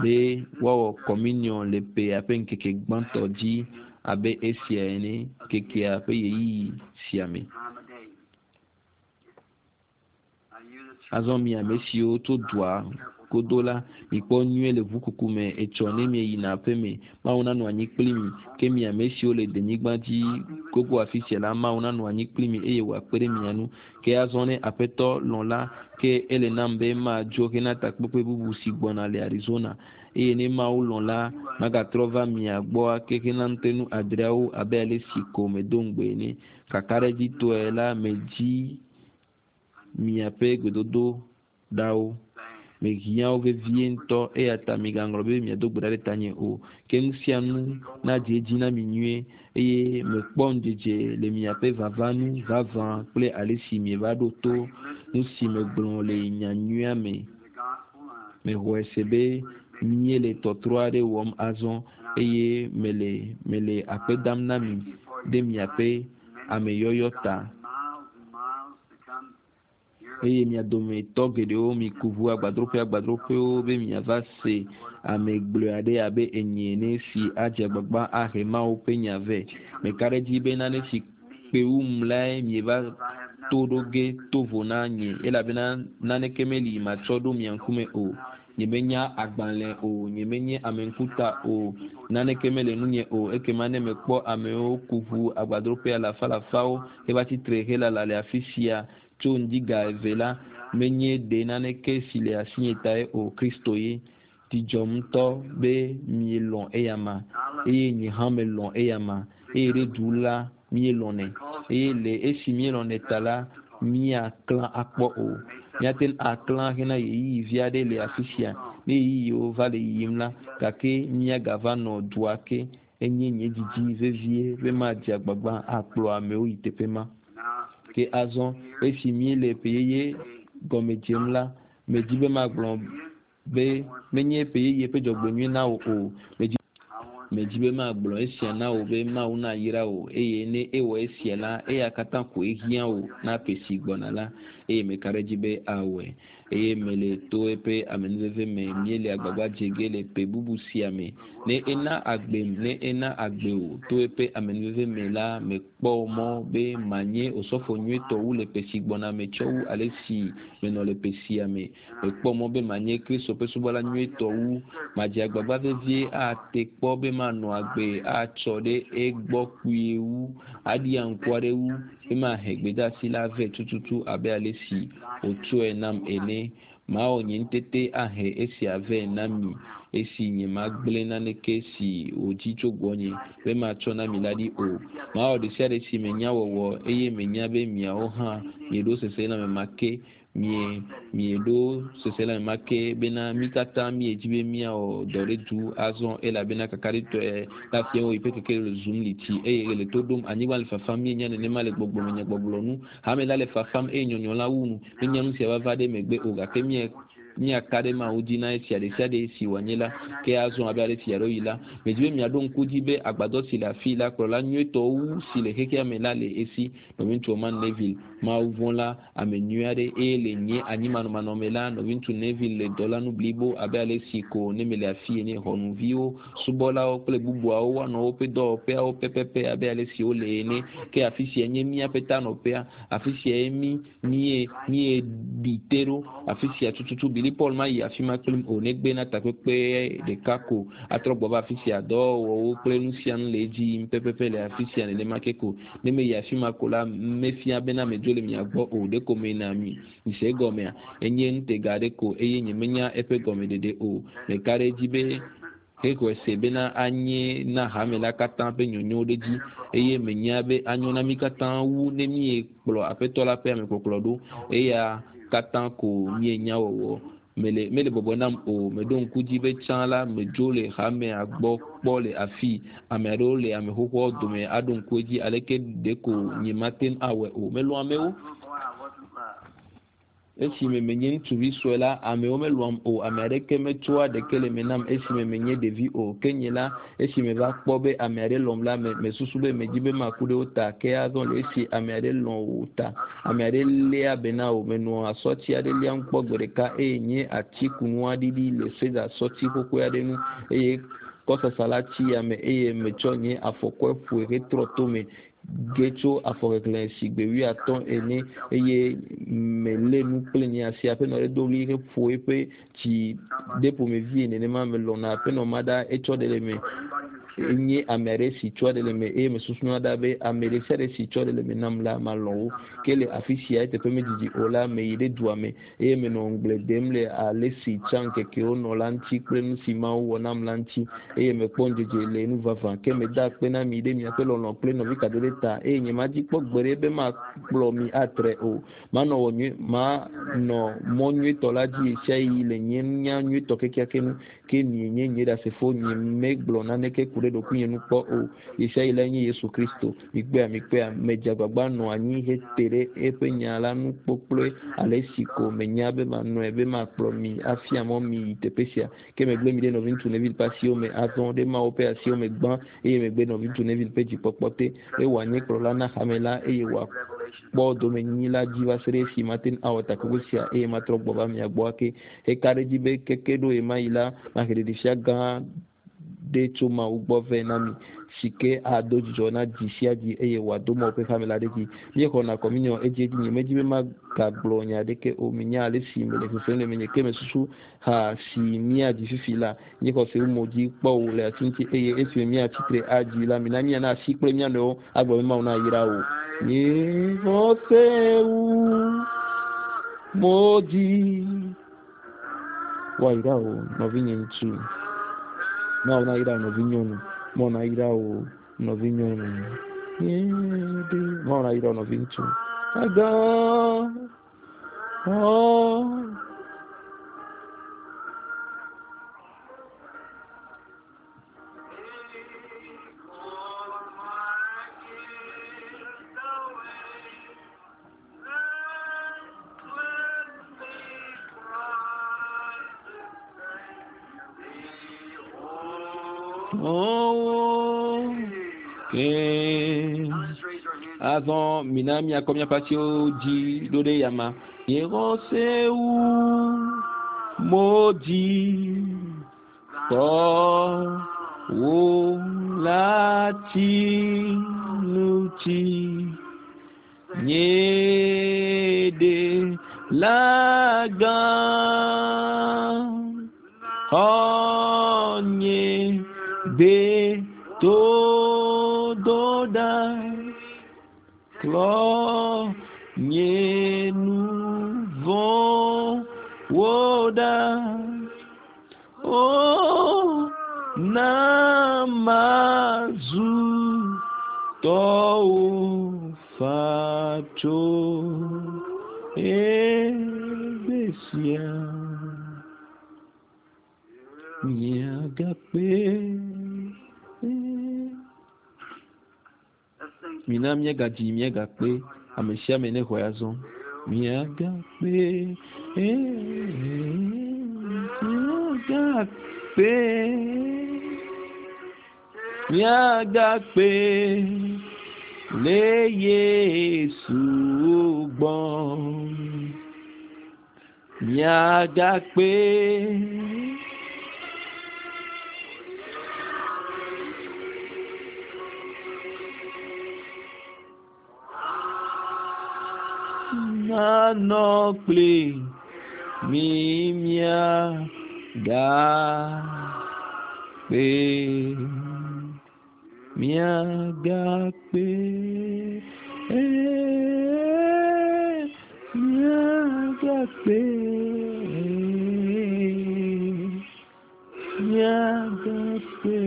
A: be woawɔ kɔminiɔn le ƒea ƒe ŋkeke gbãtɔ dzi abe esia ene, ŋkekea ƒe ɣeyiɣi sia me. Azɔ mi ame siwo tso dua godo la, mikpɔ nyuie le ʋukuku me etsɔ ne mieyina aƒe me. Mawu nanɔ anyi kpli mi. Ke mi ame siwo le denyigba dzi gogo afi sia la, Mawu nanɔ anyi kpli mi eye wòakpe ɖe mia ŋu. Ke azɔ ne Aƒetɔ lɔ̃ la, ke ele nam be madzo hena takpekpe bubu si gbɔna le Arizona. Eye ne Mawu lɔ̃ la, magatrɔ va mia gbɔ ake hena ŋutenu adreawo abe ale si ko medo ŋugbe ene. Kakaɖedzitɔe la, medzi miaƒe gbedodoɖawo. Mehiã wo vevie ŋutɔ, eya ta migaŋlɔ be miado gbe ɖa ɖe tanye o. Ke nu sia nu nadze edzi na mi nyuie, eye mekpɔ ŋudzedze le miaƒe vava ŋu vavã kple ale si mieva ɖo to nu si megblɔ le nya nyuia me. Mexɔe se be míele tɔtrɔ aɖe wɔm azɔ, eye mele mele akpe dam na mi ɖe miaƒe ameyɔyɔ ta. Eye mia dometɔ geɖewo miku ʋu agbadroƒe agbadroƒewo be miava se ame gblɔe aɖe abe enyi ene si adze agbagba ahe Mawu ƒe nya vɛ. Meka ɖe edzi be nane si kpe wum lae mieva to ɖo ge to vo na nye, elabena naneke meli matsɔ ɖo mia ŋkume o. Nyemenya agbalẽ o, nyemenye ame ŋkuta o, naneke mele ŋunye o. Ekema ne mekpɔ amewo ku ʋu agbadroƒe alafalafawo heva tsi tre helala le afisia tso ŋdi ga eve la, menye ɖe naneke si le asinye tae o, Kristo ye. Dzi dzɔm ŋutɔ be mielɔ̃ eyama, eye nye hã melɔ̃ eyama, eye ɖe du la, míelɔ̃nɛ. Eye le esi míelɔ̃nɛ ta la, míaklã akpɔ o. Míate ŋu aklã hena ɣeyiɣi vi aɖe le afi sia, ne ɣeyiɣiwo va le yiyim la, gake míagava nɔ dua ke. Enye nye didi vevie be madze agbagba akplɔ amewo yi teƒe ma. Ke azɔ, esi míele ƒe yeye gɔme dzem la, medi be magblɔ be menye ƒe yeye ƒe dzɔgbenyui na wò o. Medi, medi be magblɔ esia na wò be Mawu nayra wò, eye ne ewɔ esia la, eya katã koe hiã wò na ƒe si gbɔna la, eye meka ɖe edzi be awɔe. Eye mele to eƒe amenuveve me míele agbagba dze ge le ƒe bubu sia me. Ne ena agbem, ne ena agbe wò to eƒe amenuveve me la, mekpɔ mɔ be manye osɔfo nyuietɔ wu le ƒe si gbɔna me tsɔ wu alesi menɔ le ƒe sia me. Mekpɔ mɔ be manye Kristo ƒe subɔla nyuietɔ wu. Madze agbagba vevie ate kpɔ be manɔ agbe atsɔ ɖe egbɔ kpuie wu, aɖia ŋku aɖe wu, be mahe gbedeasi la vɛ tututu abe ale si wòtsɔe nam ene. Mawɔ nye ŋutete ahe esia vɛ na mi esi nyemagblẽ naneke si wòdi tso gbɔnye be matsɔ na mi la ɖi o. Mawɔ ɖesiaɖe si menya wɔwɔ, eye menya be miawo hã mieɖo seselelãme ma ke Mie, mieɖo seselelãme ma ke bena mí katã míedzi be míawɔ dɔ ɖe du azɔ elabena kakaɖitɔe la fia wo yiƒe keke le zum li tsi eye ɣe le to ɖom. Anyigba le fafam, míenya nenema le gbɔgbɔme nyagbɔgblɔ nu. Hame la le fafam eye nyɔnyɔ la wu nu. Míenya nu sia vava ɖe megbe o gake mie, míaka ɖe Mawu dzi na esia ɖesiaɖe si wòanye la. Ke azɔ abe ale si yeaɖo yi la, medzi be miaɖo ŋku dzi be agbadɔ si le afii la, kplɔla nyuietɔ wu si le xexea me la le esi. Nɔviŋutsu Orman Neville, Mawu vɔ̃la, ame nyui aɖe, eye le nye anyimanɔmanɔ me la, nɔviŋutsu Neville le dɔ la nu blibo abe ale si ko ne mele afii ene. Xɔnuviwo, subɔlawo kple bubuawo woanɔ woƒe dɔwɔƒeawo pɛpɛpɛ abe ale si wole ene. Ke afi sia nye míaƒe tanɔƒea. Afi siae mí, míe, míeɖi te ɖo. Afi sia tututu Billy. Billy Paul mayi afi ma kplim o negbe na takpekpe ɖeka ko atrɔ gbɔ va afi sia. Dɔwɔwɔwo kple nu sia nu le edzi yim pɛpɛpɛ le afi sia nenema ke ko. Ne meyi afi ma ko la, mefia bena medzo le mia gbɔ o. Ɖeko meyina mi mise egɔmea? Enye ŋutega aɖe ko eye nyemenya eƒe gɔmeɖeɖe o. Meka ɖe edzi be hexɔe se bena anye na hame la katã ƒe nyonyo ɖe edzi eye menya be anyo na mí katã wu ne míekplɔ Aƒetɔ la ƒe amekpɔkplɔ ɖo. Eya katã ko míenya wɔwɔ. Mele, mele bɔbɔe nam o. Meɖo ŋku dzi be tsã la, medzo le hamea gbɔ kpɔ le afii. Ame aɖewo le ame xoxoawo dome aɖo ŋku edzi aleke ɖeko nyemate ŋu awɔe o. Melɔ̃ amewo. Esime menye ŋutsuvi sue la, amewo melɔ̃am o. Ame aɖeke metsɔa ɖeke le eme nam esime menye ɖevi o. Ke nye la, esi meva kpɔ be ame aɖe lɔ̃m la, me, mesusu be medi be maku ɖe wo ta. Ke azɔ le esi ame aɖe lɔ̃ wò ta, ame aɖe léa be na wò. Menɔ asɔti aɖe liam kpɔ gbe ɖeka eye nye atikunua ɖiɖi le seda sɔti xoxoe aɖe ŋu eye kɔsasa la tsi yame eye metsɔ nye afɔkɔe ƒoe hetrɔ tome ge tso afɔkeklẽ sigbe wuiatɔ̃ ene eye melé nu kple nye asi. Aƒenɔ aɖe do ɣli heƒo eƒe dzi ɖe ƒomevie nenema. Melɔ̃na aƒenɔ ma ɖa etsɔ ɖe le eme. Enye ame aɖe si tsɔa ɖe le eme eye mesusuna ɖa be ame ɖe sia ɖe si tsɔ ɖe le eme nam la, malɔ̃ wo. Ke le afi sia eteƒe medidi o la, meyi ɖe dua me eye menɔ ŋugble dem le ale si tsã ŋkekewo nɔ la ŋuti kple nu si Mawu wɔ nam la ŋuti, eye mekpɔ ŋudzedze le nu vavã. Ke meda akpe na mi ɖe miaƒe lɔlɔ̃ kple nɔvikadede ta, eye nyemadzi kpɔ gbeɖe be makplɔ mi atre o. Manɔ wɔ nyui, manɔ mɔ nyuitɔ la dzi ɣesiaɣi le nye nunya nyuitɔ kekeake nu. Ke mienye nye ɖasefo, nyemegblɔ naneke ku ɖe ɖokuinye ŋu kpɔ o. Ɣesiaɣi lae nye Yesu Kristo. Mikpɔea? Mikpɔea? Medze agbagba nɔ anyi hete ɖe eƒe nya la ŋu kpokploe ale si ko menya be manɔe be makplɔ mi afia mɔ mi yi teƒe sia. Ke megblẽ mi ɖe Nɔviŋutsu Neville ƒe asiwo me azɔ, ɖe Mawu ƒe asiwo me gbã, eye megbe Nɔviŋutsu Neville ƒe dzikpɔkpɔ te, be wòanye kplɔla na hame la eye wòakpɔ domenyinyi la dzi va se ɖe esi mate ŋu awɔ takpekpe sia eye matrɔ gbɔ va mia gbɔ ake. Heka ɖe edzi be keke ɖo ɣemaɣi la, mahe ɖeɖefia gã ɖe tso Mawu gbɔ vɛ na mi, si ke ado dzidzɔ na dzi sia dzi eye wòado Mawu ƒe hame la ɖe edzi. Míexɔna kɔminiɔ edziedzi. Nyemedi be magagblɔ nya aɖeke o. Minya ale si mele sesem le menye, ke mesusu ha si míadzi fifi la. Nye xɔse wu mo dzi kpɔ wò le asi ŋuti, eye esime míatsi tre adzi la, mina míana asi kple mía nɔewo agblɔ be Mawu nayra wò. Nye xɔse wu mo dzi. Woayra wò, nɔvinye ŋutsu. Mawu nayra wò, nɔvinyɔnu. Mawu nayra wò, nɔvinyɔnu. Mawu nayra wò, nɔviŋutsu. Agã. Oh. Oh, okay. Azɔ mina míakɔ míaƒe asiwo dzi ɖo ɖe yama. Nye xɔse wu mo dzi kpɔ wò la tsi nu tsi. Nye ɖe la gã xɔ nye gbe to do ɖa. Klɔ nye nu vɔ̃wo ɖa. O na mazu tɔwò faa tso egbe sia. Miagakpe. Mina míagadzi, míagakpe. Ame sia ame nexɔe azɔ. Míagakpe. Míagakpe. Míagakpe le Yesu gbɔ. Míagakpe. Nanɔ kpli Mi mia ga kpe. Mia ga kpe. Mia ga kpe. Mia ga kpe.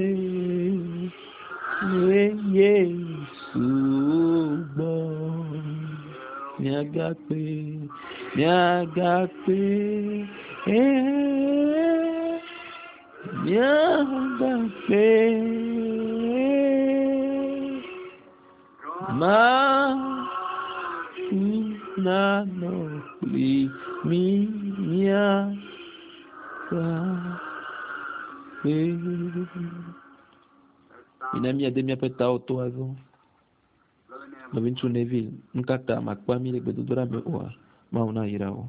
A: Le Yesu gbɔ. Mia ga kpe. Mia ga kpe. Mia ga kpe. Ma nanɔ kpli mi mia ga kpe. Mina míade míaƒe tawo to azɔ. Nɔviŋutsu Neville, nu ka ta màkpea mí le gbedodoɖa me oa? Mawu nayra wò.